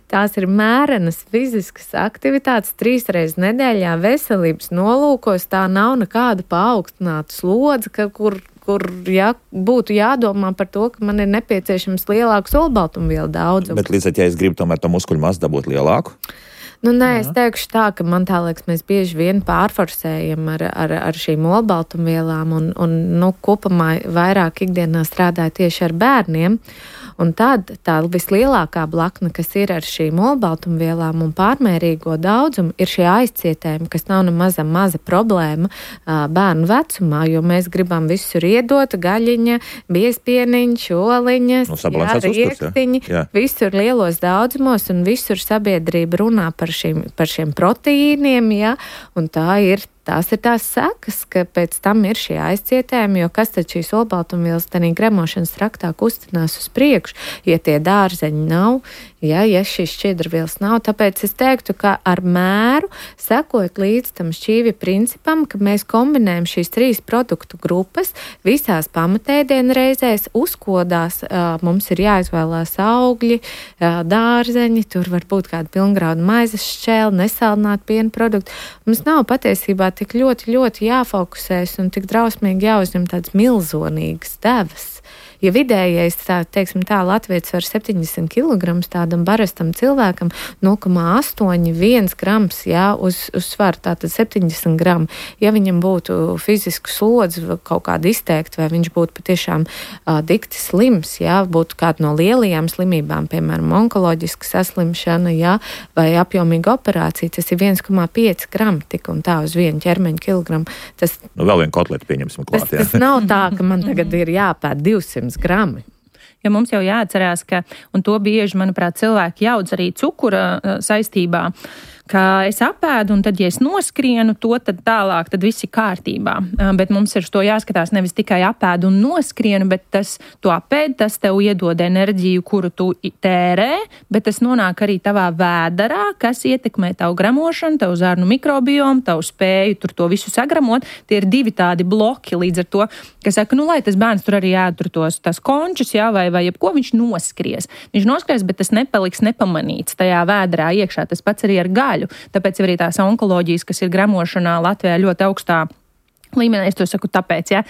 tās ir mērenas fiziskas aktivitātes 3 reizes nedēļā veselības nolūkos. Tā nav nekāda paaugstināta slodze, kur būtu jādomā par to, ka man ir nepieciešams lielāks olbaltumvielu daudzums. Bet līdz ar, ja es gribu tomēr to muskuļu masu dabūt lielāku? Nē, es teikšu tā, ka man tā liekas, mēs bieži vien pārforsējam ar šīm olbaltumvielām un kopumā vairāk ikdienā strādāja tieši ar bērniem. Un tad tā vislielākā blakna, kas ir ar šīm olbaltumvielām un pārmērīgo daudzumu, ir šie aizcietējumi, kas nav maza problēma bērnu vecumā, jo mēs gribam visur iedot gaļiņa, biezpieniņš, oliņas, riekstiņi, visur lielos daudzumos un visur sabiedrība runā par šiem proteīniem, ja, un tās ir tās sekas, ka pēc tam ir šie aizcietējumi, jo kas tad šīs olbaltumvielas tādā gremošanas traktā kustinās uz priekšu, ja tie dārzeņi nav, ja šīs šķiedrvielas nav. Tāpēc es teiktu, ka ar mēru, sekojot līdz tam šķīvja principam, ka mēs kombinējam šīs 3 produktu grupas visās pamatēdienu reizēs, uzkodās, mums ir jāizvēlās augļi, dārzeņi, tur var būt kāda pilngrauda maizes šķēle, nesaldināti piena produkti. Mums nav patiesībā tik ļoti, ļoti jāfokusēs un tik drausmīgi jāuzņem tādas milzonīgas devas. Ja vidējais, teiksim tā, latvietis var 70 kg tādam barastam cilvēkam 0,81 grams, uz svaru, tātad 70 gramu. Ja viņam būtu fizisku slodzi kaut kāda izteikta, vai viņš būtu patiešām dikti slims, būtu kāda no lielajām slimībām, piemēram, onkoloģiska saslimšana, vai apjomīga operācija, tas ir 1,5 gramu tik un tā uz vienu ķermeņa kilogramu. Tas, vēl vienu kotletu pieņemsim klāt. Tas nav tā, ka man tagad ir jāpēd 200 grami. Jo mums jau jāatcerās, ka, un to bieži, manuprāt, cilvēki jaudz arī cukura saistībā, ka es apēdu, un tad, ja es noskrienu to, tad tālāk, tad viss ir kārtībā. Bet mums ir to jāskatās nevis tikai apēdu un noskrienu, bet tu apēdi, tas tev iedod enerģiju, kuru tu tērē, bet tas nonāk arī tavā vēderā, kas ietekmē tavu gramošanu, tavu zarnu mikrobiomu, tavu spēju tur to visu sagramot. Tie ir 2 tādi bloki līdz ar to, ka saka, lai tas bērns tur arī ēd tas končus, vai jebko viņš noskries. Viņš noskries, bet tas nepaliks nepamanīts tajā vēderā iekšā. Tas pats arī ar gaļu. Tāpēc arī tās onkoloģijas, kas ir gramošanā Latvijā ļoti augstā līmenī, es to saku tāpēc, ja,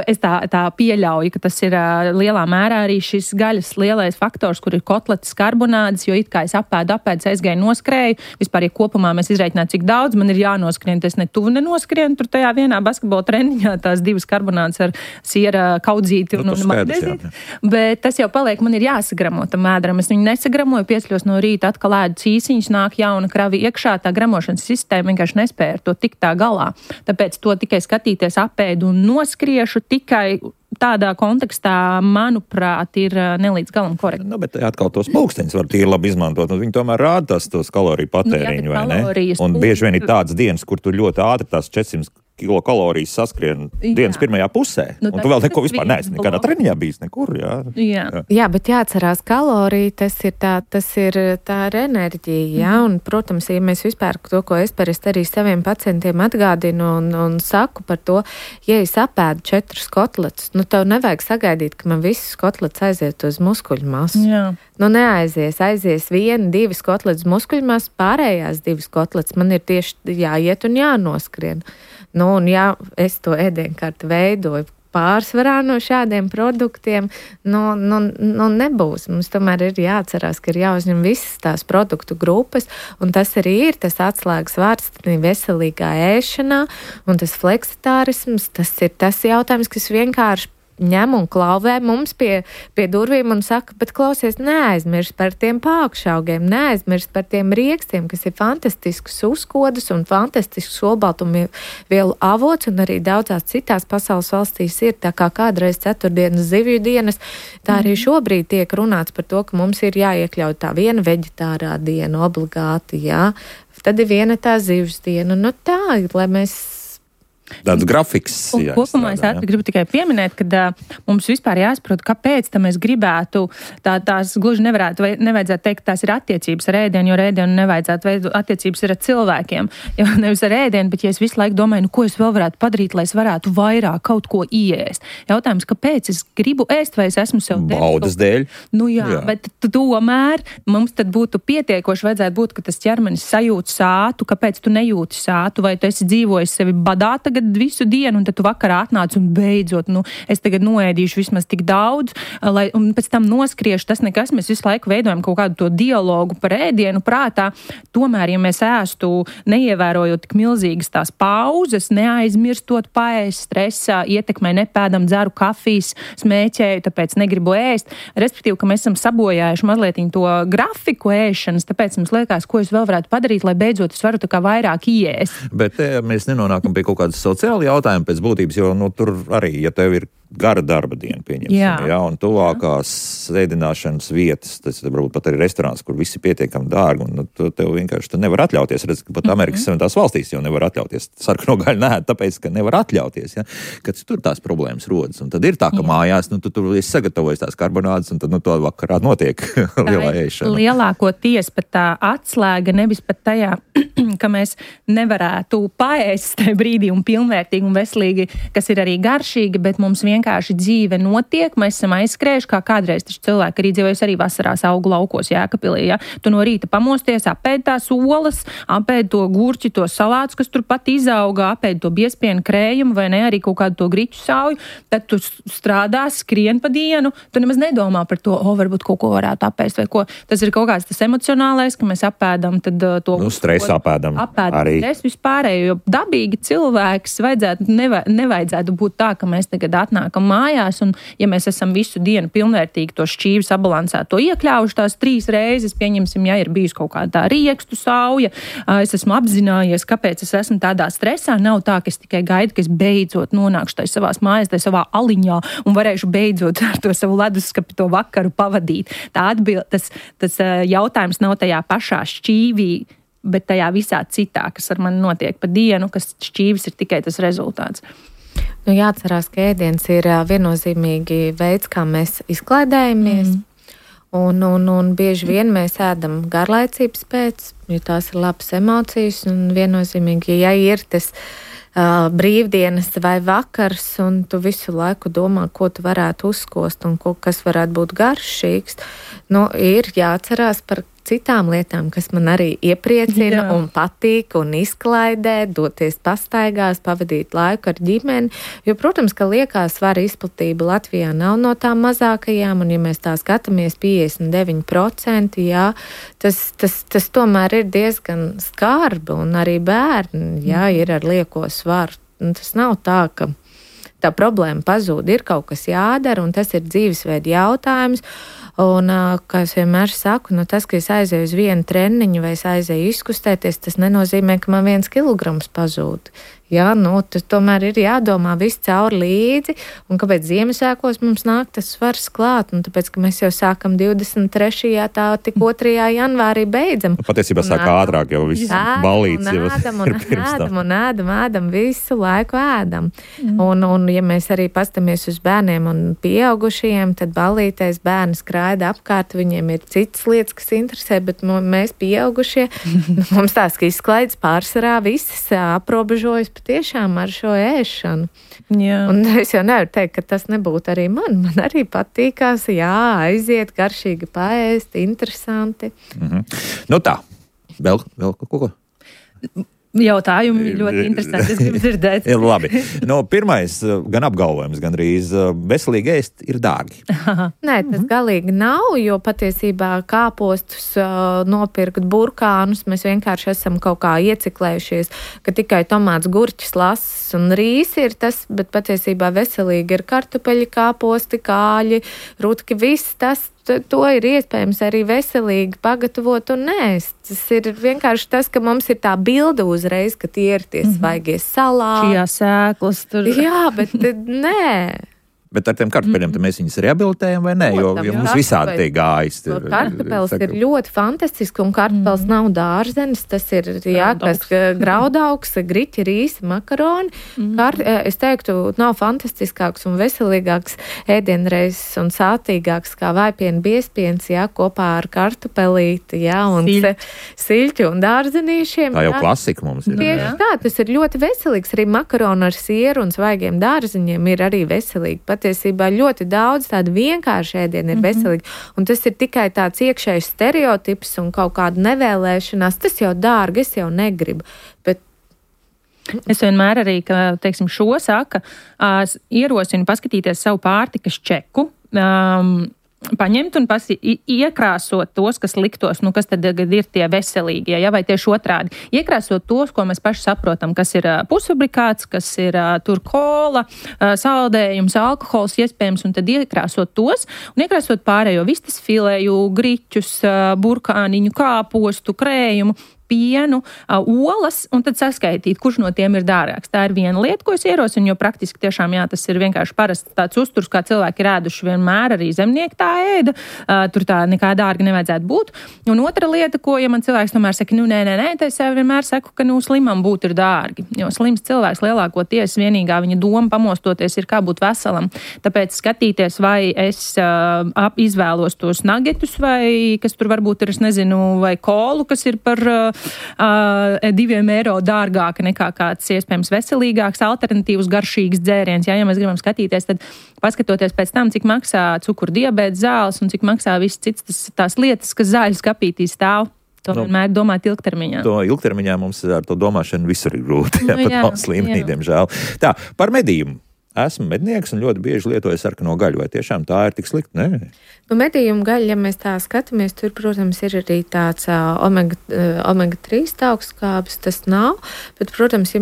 es tā pieļauju, ka tas ir lielā mērā arī šis gaļas lielais faktors, kur ir kotletes, karbonādes, jo it kā es apēdu, aizgāju, noskrēju, vispār, ja kopumā mēs izreikinātu, cik daudz man ir jānoskrien, tas ne tuvu nenoskrienu, tur tajā vienā basketbola treniņā tās 2 karbonādes ar siera kaudzīti un magnezīti, bet tas jau paliek, man ir jāsagramo tam ēdaram, es viņu nesagramoju, piecļos no rīta, atkal ēdu cīsiņus, nāk jauna kravi iekšā, tā gramošanas sistēma vienkārši nespēja ar to tikt tā galā, tāpēc to tikai apēdu un noskriešu tikai tādā kontekstā, manuprāt, ir nelīdz galam korekti. Nu, bet atkal tos pulksteņus var tīri labi izmantot, un viņi tomēr rāda tos kaloriju patēriņu, vai ne? Un bieži vien ir tādas dienas, kur tu ļoti ātri tās 400 kilokalorijas saskrien dienas pirmajā pusē, un tu vēl neko vispār neesi nekādā treniņā bijis, nekur, Jā, bet jāatcerās kalorija, tas ir tā ar enerģiju, un, protams, ja mēs vispār to, ko es parasti arī saviem pacientiem atgādinu un saku par to, ja es apēdu 4 kotletus, nu, tev nevajag sagaidīt, ka man visas kotletes aiziet uz muskuļu masu. Jā. Nu, aizies 1, 2 kotletes muskuļu masu, pārējās 2 kotletes man ir tieši jāiet un jānoskrien. Nu, un ja es to ēdienkarti veidoju pārsvarā no šādiem produktiem, nebūs. Mums tomēr ir jāatcerās, ka ir jāuzņem visas tās produktu grupas, un tas arī ir tas atslēgas vārds veselīgā ēšanā, un tas fleksitārisms, tas ir tas jautājums, kas vienkārši ņem un klauvē mums pie durvīm un saka, bet klausies, neaizmirst par tiem pākšaugiem, neaizmirst par tiem riekstiem, kas ir fantastisks uzkodas un fantastisks olbaltumvielu avots, un arī daudzās citās pasaules valstīs ir, tā kā kādreiz 4 zivju dienas, tā arī šobrīd tiek runāts par to, ka mums ir jāiekļaut tā viena veģetārā diena obligāti, jā, tad ir viena tā zivs diena, nu tā, lai mēs tāds grafiks. Kopumā es gribu tikai pieminēt, ka mums vispār jāsaprot, kāpēc mēs gribētu, tās gluži nevajadzētu teikt, tās ir attiecības ar ēdienu, jo ēdienu nevajadzētu veidot attiecības ar cilvēkiem. Jo nevis ar ēdienu, bet ja es visu laiku domāju, ko es vēl varētu padarīt, lai es varētu vairāk kaut ko ieēst. Jautājums, kāpēc es gribu ēst, vai es esmu sev baudas dēļ? Nu jā, bet tomēr mums tad būtu pietiekoši vajadzētu būt, ka tas ķermenis sajūt sātu, kāpēc tu nejūti sātu, vai tu esi dzīvojis sevi badā tagad visu dienu, un tad tu vakarā atnāc un beidzot, es tagad noēdīšu vismaz tik daudz, un pēc tam noskriešu, tas nekas, mēs visu laiku veidojam kaut kādu to dialogu par ēdienu prātā. Tomēr, ja mēs ēstu, neievērojot tik milzīgas tās pauzes, neaizmirstot paēst, stresā, ietekmē nepēdam, dzeru kafijas, smēķēju, tāpēc negribu ēst, respektīvi, ka mēs esam sabojājuši mazliet to grafiku ēšanas, tāpēc mums liekas, ko es vēl varētu padarīt, lai beidzot es varu tā kā vairāk iēst. Bet mēs nenonākam pie kaut kādas sociāli jautājumi pēc būtības, jo tur arī, ja tev ir gara darba diena, pieņemsim, un tuvākās ēdināšanas vietas, tas varbūt pat arī restorāns, kur visi pietiekami dārgi, un tev vienkārši nevar atļauties, redz, ka pat Amerikas Savienotās valstīs jau nevar atļauties sarkano gaļu nēd, tāpēc, ka nevar atļauties, kad tur tās problēmas rodas, un tad ir tā, ka mājās, tu tur esi sagatavojis tās karbonādes, un tad to vakarā notiek lielā ēšana. Lielākoties pat tā atslēga nevis pat tajā, ka mēs nevarētu paēst tajā brīdī un pilnvērtīgi un veselīgi, kas ir arī garšīgi, bet mums vienkārši dzīve notiek, mēs esam aizskrējuši, kā kādreiz taču cilvēki arī dzīvojas arī vasarās augu laukos Jēkabpilī, Tu no rīta pamosties, apēd tās olas, apēd to gurķi, to salātus, kas tur pat izauga, apēd to biespienu krējumu vai ne, arī kaut kādu to griķu sauju, tad tu strādā, skrien pa dienu, tu nemaz nedomā par to, varbūt kaut ko varētu apēst vai ko. Tas ir kaut kāds tas emocionālais, ka mēs apēdam tad to... Stresu apēdam arī. Stresu vispārēju, jo dabīgi cilvēks nevajadzētu būt tā, ka mēs tagad atnākam mājās, un ja mēs esam visu dienu pilnvērtīgi to šķīvi sabalansēto iekļaujuši tās 3 reizes, pieņemsim, ja ir bijis kaut kādā riekstu sauja, es esmu apzinājies, kāpēc es esmu tādā stresā, nav tā, ka es tikai gaidu, ka es beidzot nonākšu tai savās mājās, tai savā aliņā un varēšu beidzot ar to savu leduskapi to vakaru pavadīt. Tas jautājums nav tajā pašā šķīvī, bet tajā visā citā, kas ar mani notiek pa dienu, kas šķīvis ir tikai tas rezultāts. Jāatcerās, ka ēdiens ir viennozīmīgi veids, kā mēs izklaidējamies, un bieži vien mēs ēdam garlaicības pēc, jo tās ir labas emocijas, un viennozīmīgi, ja ir tas brīvdienas vai vakars, un tu visu laiku domā, ko tu varētu uzkost un kas varētu būt garšīgs, ir jāatcerās par citām lietām, kas man arī iepriecina un patīk un izklaidē, doties pastaigās, pavadīt laiku ar ģimeni. Jo, protams, ka liekā svara izplatība Latvijā nav no tām mazākajām, un ja mēs tā skatāmies 59%, jā, tas tomēr ir diezgan skarbi, un arī bērni, jā, ir ar lieko svaru. Un tas nav tā, ka tā problēma pazūd, ir kaut kas jādara, un tas ir dzīvesveida jautājums. Un, kā es vienmēr saku, tas, ka es aizēju uz vienu treniņu vai es aizēju izkustēties, tas nenozīmē, ka man 1 kilograms pazūd. Jā, tas tomēr ir jādomā viss cauri līdzi, un kāpēc Ziemassvētkos mums nāk tas svars klāt, un tāpēc, ka mēs jau sākam 23. tā tik 2. janvārī beidzam. Patiesībā sāk ātrāk jau viss balīts. Ēdam, visu laiku ēdam. Un ja mēs arī pastamies uz bērniem un pieaugušajiem, tad balītais bērni skraida apkārt, viņiem ir citas lietas, kas interesē, bet mēs pieaugušie, mums tās, ka izklaides pārsvarā visas aprobežojas tiešām ar šo ēšanu. Jā. Un es jau nevaru teikt, ka tas nebūtu arī man. Man arī patīkās, aiziet, garšīgi paēst, interesanti. Tā, vēl kaut ko? Jautājumi ļoti interesanti. Es gribu dzirdēt. Labi. Pirmais, gan apgalvojums, gan arī veselīgi ēst ir dārgi. Nē, tas galīgi nav, jo patiesībā kāpostus nopirkt burkānus, mēs vienkārši esam kaut kā ieciklējušies, ka tikai tomāts, gurķis, lasis un rīsi ir tas, bet patiesībā veselīgi ir kartupeļi, kāposti, kāļi, rutki, viss tas. To ir iespējams arī veselīgi pagatavot un ēst. Tas ir vienkārši tas, ka mums ir tā bilde uzreiz, ka tie ir tie svaigie salāti. Šajā sēklas tur. Jā, bet nē. Bet ar tiem kartupeļiem mēs viņus rehabilitējam vai nē? Jo mums visādi tiek gājis. Kartupels ir ļoti fantastisks, un kartupels nav dārzenis. Tas ir graudaugs, griķi, rīsi, makaroni. Es teiktu, nav fantastiskāks un veselīgāks ēdienreizes un sātīgāks kā vaipiena biezpiens, kopā ar kartupelīti, un siļķu un dārzenīšiem. Tā jau klasika mums ir. Tieši tā, tas ir ļoti veselīgs. Arī makaroni ar sieru un svaigiem dārzeņiem ir arī veselīgi. Patiesībā ļoti daudz tādu vienkārši ēdienu ir veselīgi. Un tas ir tikai tāds iekšējs stereotips un kaut kāda nevēlēšanās. Tas jau dārgi, es jau negribu. Bet es vienmēr arī, teiksim, šo saka, ierosinu paskatīties savu pārtikas čeku, paņemt un iekrāsot tos, kas liktos, kas tad ir tie veselīgie, vai tieši otrādi. Iekrāsot tos, ko mēs paši saprotam, kas ir pusfabrikāts, kas ir tur kola, saldējums, alkohols iespējams, un tad iekrāsot tos, un iekrāsot pārējo vistas filēju, griķus, burkāniņu, kāpostu, krējumu, pienu, olas, un tad saskaitīt, kurš no tiem ir dārgāks. Tā ir viena lieta, ko es ierosinu, jo praktiski tiešām, tas ir vienkārši parasts tāds uzturs, kā cilvēki ir ēduši vienmēr, arī zemnieki tā ēda, tur tā nekā dārga nevajadzētu būt. Un otra lieta, ko, ja man cilvēks tomēr saka, nē, tad es vienmēr saku, ka slimam būt ir dārgi, jo slims cilvēks lielākoties vienīgā viņa doma pamostoties ir kā būt veselam. Tāpēc skatīties, vai es izvēlos tos nagetus, vai kas tur varbūt ir, es nezinu, vai kolu, kas ir par €2 dārgāka nekā kāds iespējams veselīgāks, alternatīvs, garšīgs dzēriens. Ja mēs gribam skatīties, tad paskatoties pēc tam, cik maksā cukura-diabēta zāles un cik maksā viss cits tās lietas, kas zāļu skapītī stāv. To vienmēr domāt ilgtermiņā. To ilgtermiņā mums ar to domāšanu visur ir grūti, pat valsts līmenī, diemžēl. Tā, par medījumu. Esmu mednieks un ļoti bieži lietoju sarkano gaļu. Vai tiešām tā ir tik slikta? Nē. Medījumu gaļa, ja mēs tā skatāmies, tur, protams, ir arī tāds omega-3 augstskābes, tas nav. Bet, protams, ja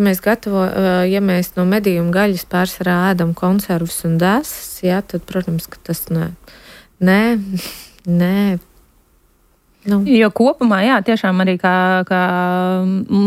mēs no medījumu gaļas pārsvarā ēdam konservus un desas, tad, protams, ka tas nē. Jo kopumā, tiešām arī, kā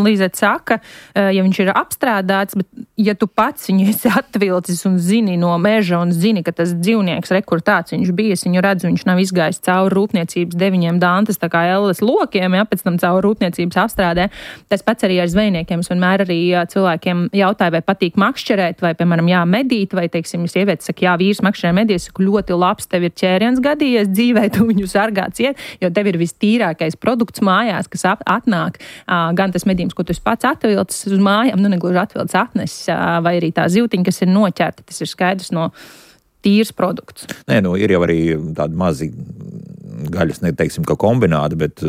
Līzete saka, ja viņš ir apstrādāts, bet ja tu pats viņu esi atvilcis un zini no meža un zini, ka tas dzīvnieks, kur tāds viņš bijis, viņu redz, viņš nav izgājis cauri rūpniecības 9 dantas, tā kā elles lokiem, pēc tam cauri rūpniecības apstrādē. Tas pats arī ar zvejniekiem. Es vienmēr arī cilvēkiem jautāju, vai patīk makšķerēt, vai, piemēram, medīt, vai, teiksim, sievietes saka, vīrs makšķerē medīs, saku, ļoti labs, tev ir ķēriens gadījies dzīvē, tu viņu sargāt ciet, jo tev ir tīrākais produkts mājās, kas atnāk, gan tas medījums, ko tu pats atvilcis uz mājām, negluži atvilcis atnesis, vai arī tā zivtiņa, kas ir noķerta, tas ir skaidrs no tīrs produkts. Nē, ir jau arī tādi mazi gaļas, neteiksim, ka kombināti, bet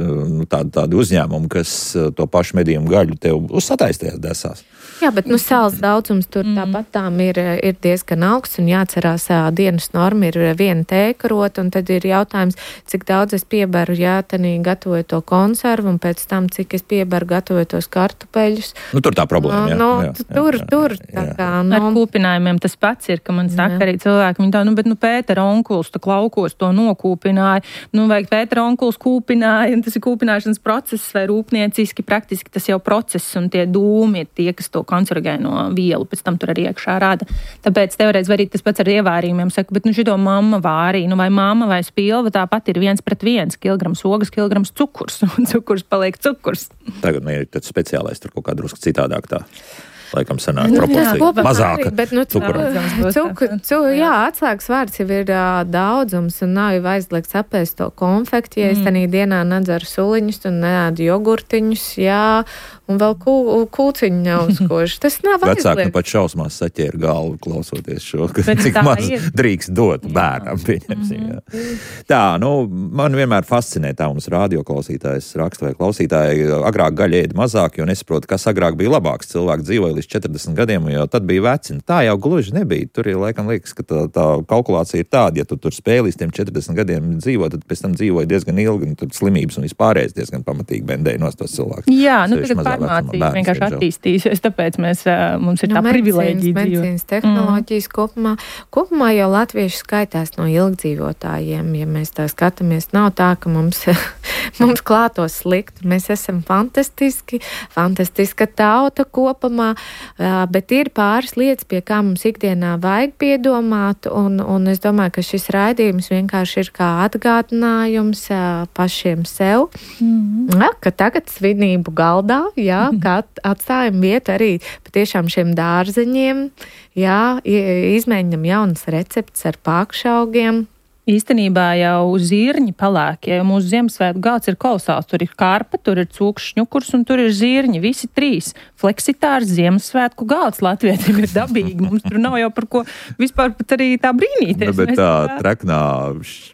tādi uzņēmumi, kas to pašu medījumu gaļu tev uzsataisties desās. Jā, bet sāls daudzums tur tāpat tām ir diezgan augsts un jāatcerās, dienas norma ir 1 tēkarota, un tad ir jautājums, cik daudz es piebaru, tanī gatavoju to konservu, un pēc tam, cik es piebaru gatavoju tos kartupeļus. Tur tā problēma, jā. Tur tā kā. Ar kūpinājumiem tas pats ir, ka man saka arī cilvēki, viņi tā, bet Pētera onkuls tu laukos to nokūpināja, vai Pētera onkuls kūpināja, un tas ir kūpināšanas process vai rūpnieciski, praktiski tas jau process, un tie dūmi ir tie, kas to kancerogēno vielu pēc tam tur arī iekšā rada. Tāpēc teoreiz var arī tas pats ar ievārījumiem saka, bet šito mamma vārīja, vai mamma vai spilva tāpat ir 1:1, kilograms ogas, kilograms cukurs, un cukurs paliek cukurs. Tagad ir tāds speciālais, tur kaut kā drusku citādāk tā. Laikam sanāk proporcija. Mazāka. Bet, atslēgas vārds jau ir daudzums un nav jau aizliegts apēst to konfekti, ja es tanī dienā nedzeru suliņus un neēdu jogurtiņus, un vēl kūciņu neuzkošu. Tas nav aizliegts. Vecāki pat šausmās saķēra galvu klausoties šo, cik maz drīkst dot bērnam, pieņemsim. Tā, man vienmēr fascinē tā mums radioklausītājs raksta vai klausītāji, agrāk gaļa ēda mazāk, jo nesaprotu, kas agrāk bija labāks. Cilvēki dzīvoja līdz 40 gadiem, jo tad bija veci. Tā jau gluži nebija. Tur ir laikam liekas, ka tā kalkulācija ir tāda, ja tu tur spēj līdz tiem 40 gadiem dzīvo, tad pēc tam dzīvoja diezgan ilgi, un tad slimības un vispārējais diezgan pamatīgi bendēja nos tos cilvēkus. Jā, tagad farmācija vienkārši attīstīsies, tāpēc mums ir tā privilēģija dzīvot. Medicīnas tehnoloģijas kopumā jau latvieši skaitās no ilgdzīvotājiem. Ja mēs tā skatāmies, nav tā, ka mums klātos slikti. Mēs esam fantastiska tauta kopumā, bet ir pāris lietas, pie kā mums ikdienā vajag piedomāt, un es domāju, ka šis raidījums vienkārši ir kā atgādinājums pašiem sev, ka tagad svinību galdā, kā atstājam vietu arī patiešām šiem dārzeņiem, izmēģinam jaunas receptes ar pākšaugiem. Īstenībā jau zirņi palēkie, jo mūsu Ziemassvētku galds ir kolosāls. Tur ir karpa, tur ir cūks šņukurs un tur ir zirņi. Visi 3. Fleksitārs Ziemassvētku galds Latvijiem ir dabīgi. Mums tur nav jau par ko vispār pat arī tā brīnīties. Bet tā traknā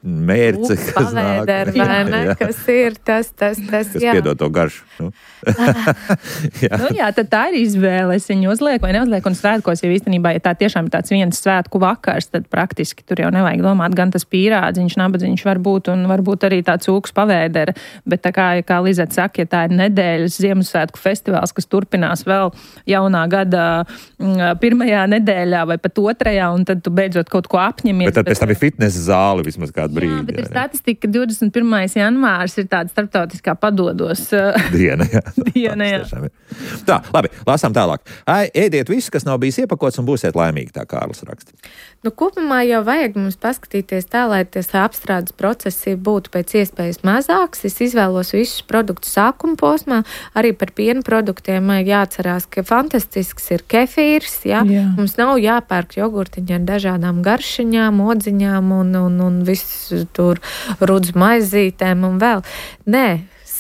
mērce, kas nāk. Kas ir tas, kas piedod to garšu. Tad tā ir izvēle. Es viņu uzlieku vai neuzlieku un svētkos, jo īstenībā, ja tā tiešām ir tāds viens svētku vakars, tad praktiski tur jau nevajag domāt gan tas pīrādziņš, nabadziņš var būt un varbūt arī tā cūks pavēdera, bet tā kā Lizeta saka, ja tā ir nedēļas Ziemassvētku festivāls, kas turpinās vēl jaunā gada 1. nedēļā vai pat 2. un tad tu beidzot kaut ko apņemies. Bet tad pēc tam ir fitnesa zāle vismaz kādu brīdi. Jā, bet ir statistika, ka 21. janvārs ir tāda starptautiskā padodos diena. Jā. Tā, labi, lasām tālāk. Ēdiet visu, kas nav bijis iepakots un būsiet laimīgi, tā Kārlis raksta. Kopumā jau vajag mums paskatīties tā, lai tas apstrādes procesi būtu pēc iespējas mazāks. Es izvēlos visus produktus sākuma posmā. Arī par piena produktiem jāatcerās, ka fantastisks ir kefīrs. Jā. Mums nav jāpērk jogurtiņi ar dažādām garšiņām, odziņām un viss tur rudz maizītēm un vēl. Nē.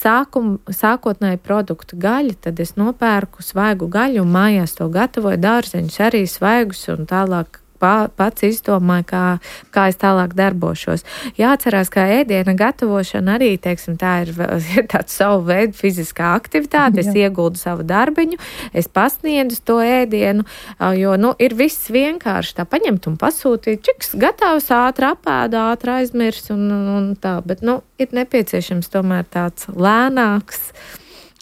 Sākotnēji produktu gaļa, tad es nopērku svaigu gaļu un mājās to gatavoju, dārzeņus arī svaigus un tālāk pats izdomāju, kā es tālāk darbošos. Jāatcerās, ka ēdiena gatavošana arī, teiksim, tā ir tāds savu veidu fiziskā aktivitāte. Es ieguldu savu darbiņu, es pasniedzu to ēdienu, jo, ir viss vienkārši tā paņemt un pasūtīt. Čiks gatavs, ātri apēda, ātri aizmirs un tā, bet, ir nepieciešams tomēr tāds lēnāks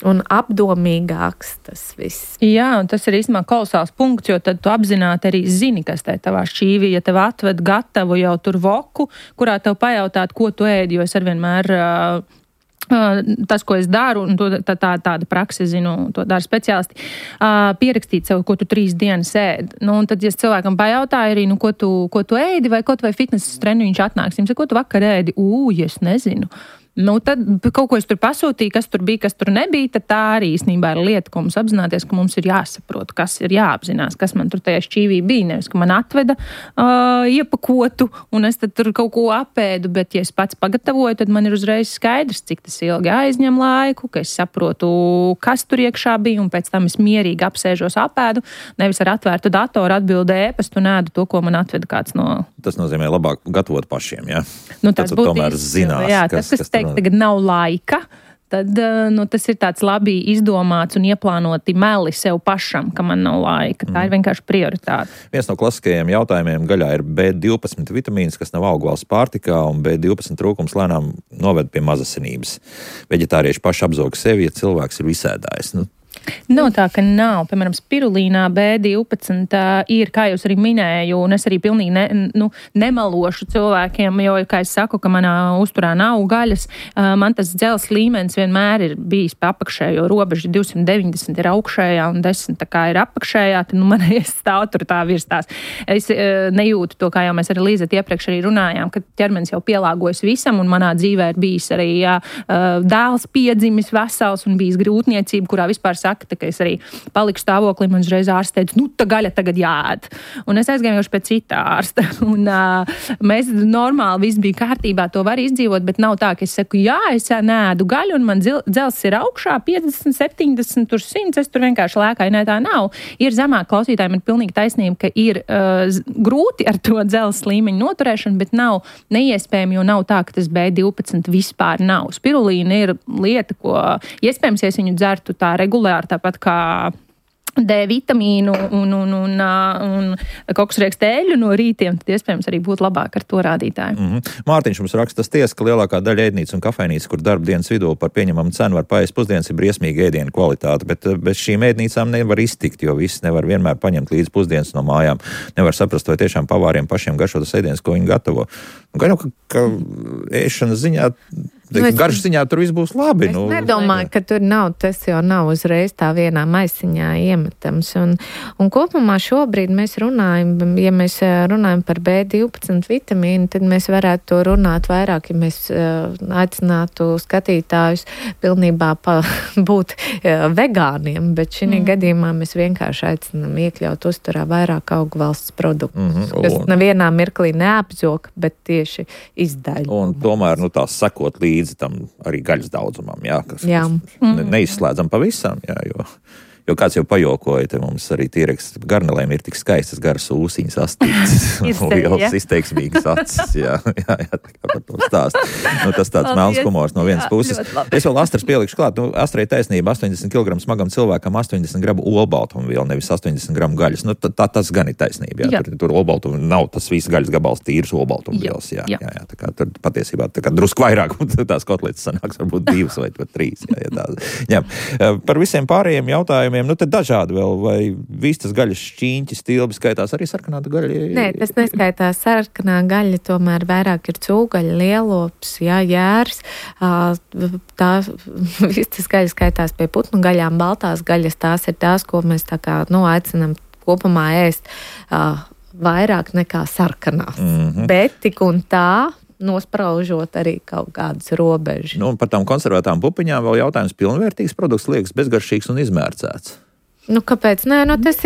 un apdomīgāks tas viss. Jā, un tas ir īstenībā kolosāls punkts, jo tad tu apzināti arī zini, kas te tavā šķīvī, ja tev atved gatavu jau tur voku, kurā tev pajautāt, ko tu ēdi, jo es arvienmēr tas, ko es daru, un tāda prakse, zinu, to dara speciālisti, pierakstīt sev, ko tu 3 dienas ēdi. Un tad, ja cilvēkam pajautāja arī, ko tu ēdi, vai kaut vai fitnesa treniņš atnāks, ko tu vakar ēdi? Es nezinu. Tad kaut ko es tur pasūtīju, kas tur bija, kas tur nebija, tad tā arī īstenībā ir lieta, ko mums apzināties, ka mums ir jāsaprot, kas ir jāapzinās, kas man tur tajā šķīvī bija. Nevis, ka man atveda iepakotu un es tad tur kaut ko apēdu, bet ja es pats pagatavoju, tad man ir uzreiz skaidrs, cik tas ilgi aizņem laiku, ka es saprotu, kas tur iekšā bija un pēc tam es mierīgi apsēžos apēdu, nevis ar atvērtu datoru atbildu ēpastu un ēdu to, ko man atveda kāds no... Tas nozīmē labāk gatavot pašiem, jā? Tas būtu tomēr zinās, jā, kas teikt, tagad nav laika, tad tas ir tāds labi izdomāts un ieplānoti meli sev pašam, ka man nav laika. Tā ir vienkārši prioritāte. Viens no klasiskajiem jautājumiem gaļā ir B12 vitamīns, kas nav augvalsts pārtikā, un B12 trūkums lēnām noved pie mazasinības. Veģetārieši paši apzog sevi, ja cilvēks ir visēdājs. Nav tā, ka nav. Piemēram, spirulīnā B12 ir, kā jūs arī minēju, un es arī pilnīgi nemalošu cilvēkiem, jo, kā es saku, ka manā uzturā nav gaļas, man tas dzels līmenis vienmēr ir bijis pa apakšējo robežu, 290 ir augšējā un 10 tā kā ir apakšējā, tad man stāv tur tā virs tās. Es nejūtu to, kā jau mēs ar Līzeti iepriekš arī runājām, ka ķermenis jau pielāgojas visam, un manā dzīvē ir bijis arī dēls piedzimis vesels un bijis grūtniecība, kurā vispār saka, ka es arī paliku stāvoklī, man uzreiz ārsts teica, tā gaļa tagad jāēd. Un es aizgāju pie cita ārsta. Un mēs normāli viss bija kārtībā, to var izdzīvot, bet nav tā, ka es saku, jā, es nēdu gaļu un man dzels ir augšā 50, 70, 100, es tur vienkārši lēkāju, ne tā nav. Ir zemāk, klausītājiem ir pilnīgi taisnība, ka ir grūti ar to dzels līmeņu noturēšanu, bet nav neiespējami, jo nav tā, ka tas B12 vispār nav. Spirulīna ir lieta, ko iespējams, ja es viņu dzertu tā regulāri, tāpat kā D vitamīnu un koksriekstu eļļu no rītiem, tad iespējams arī būtu labāk ar to rādītāju. Mārtiņš mums raksta, tas tiesa, ka lielākā daļa ēdnīcu un kafejnīcu, kur darba dienas vidū par pieņemamu cenu var paēst pusdienas, ir briesmīga ēdienu kvalitāte, bet bez šīm ēdnīcām nevar iztikt, jo viss nevar vienmēr paņemt līdz pusdienas no mājām. Nevar saprast, vai tiešām pavāriem pašiem garšo tas ēdiens, ko viņi gatavo. Gan jau, ka ēšanas ziņā garšas ziņā tur viss būs labi. Es nedomāju, ka tur nav, tas jau nav uzreiz tā vienā maisiņā iemetams. Un kopumā šobrīd mēs runājam, ja mēs runājam par B12 vitamīnu, tad mēs varētu to runāt vairāk, ja mēs aicinātu skatītājus pilnībā būt vegāniem, bet šī gadījumā mēs vienkārši aicinām iekļaut uzturā vairāk augvalsts produktus, kas nevienā mirklī neapzog, bet tieši izdaļ. Un tomēr, tās sekot līdzi tam arī gaļas daudzumam, kas neizslēdzam pavisam, jo kāds jau pajokoja, te mums arī tīreks garnelēm ir tik skaistas garas ūsiņas astītas un lielas izteiksmīgas acis, tā kā par to stāst. Tas tāds melns humors no vienas puses. Es vēl Astras pielikšu klāt, Astrai taisnība, 80 kg smagam cilvēkam 80 gramu olbaltumvielu, nevis 80 gramu gaļas. Tas gan ir taisnība, tur olbaltumu nav tas viss gaļas gabals tīrs olbaltumvielas, tā kā tur patiesībā tā kā drusku vairāk, tās kotletes sanāks varbūt 2 vai 3, Par visiem pārējiem jautājumiem, tad dažādi vēl, vai vistas gaļas šķīņķi, stilbi skaitās arī sarkanā gaļa? Nē, tas neskaitās sarkanā gaļa, tomēr vairāk ir cūgaļa, lielops, jērs. Tā vistas gaļa skaitās pie putnu gaļām, baltās gaļas, tās ir tās, ko mēs tā kā, aicinām kopumā ēst vairāk nekā sarkanās. Bet tik un tā, nospraužot arī kaut kādas robežas. Par tām konservētām pupiņām vēl jautājums, pilnvērtīgs produkts liekas bezgaršīgs un izmērcēts. Kāpēc? Nē, tās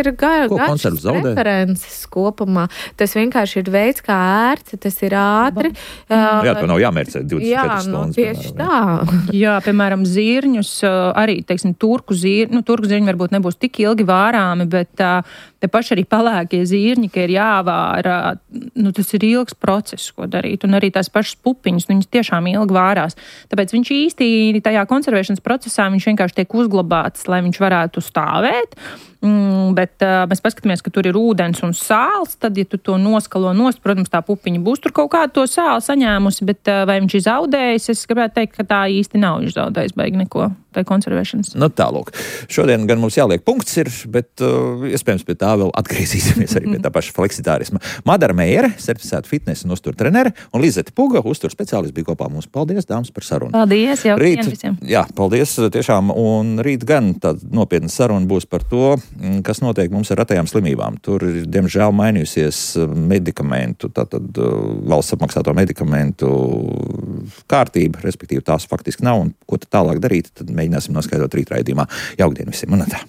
ir garšas preferences kopumā. Tas vienkārši ir veids, kā ērti, tas ir ātri. To nav jāmērcē 24 stundas. Tieši tā. Piemēram, zirņus, arī, turku zirņi varbūt nebūs tik ilgi vārāmi, bet te paši arī palēkie zirņi, ka ir jāvāra, tas ir ilgs process, ko darīt, un arī tās pašas pupiņas, viņas tiešām ilgi vārās. Tāpēc viņš īsti tajā konservēšanas procesā, viņš vienkārši tiek uzglabāts, lai viņš varētu stāvēt, bet mēs paskatāmies, ka tur ir ūdens un sāls, tad, ja tu to noskalo nost, protams, tā pupiņa būs tur kaut kādu to sāli saņēmusi, bet vai viņš ir zaudējis, es gribētu teikt, ka tā īsti nav zaudējis baigi neko. tai konservēšanas. Nu, tālūk. Šodien gan mums jāliek punkts ir, bet iespējams pie tā vēl atgriezīsimies arī pie tā paša fleksitārisma. Madara Meijere, certificēta fitnesa un uztur trenere, un Lizete Puga, uztur speciālists, bija kopā mums. Paldies, dāmas, par sarunu. Paldies, jau visiem. Jā, paldies tiešām, un rīt gan tāda nopietna saruna būs par to, kas notiek mums ar retajām slimībām. Tur ir, diemžēl, mainījusies medikamentu, tātad valsts apmaksāto medikamentu kārtība, respektīvi tās faktiski nav, un ko tad tālāk darīt, tad mēģināsim noskaidrot rīt raidījumā. Jaukdien visiem, un tā.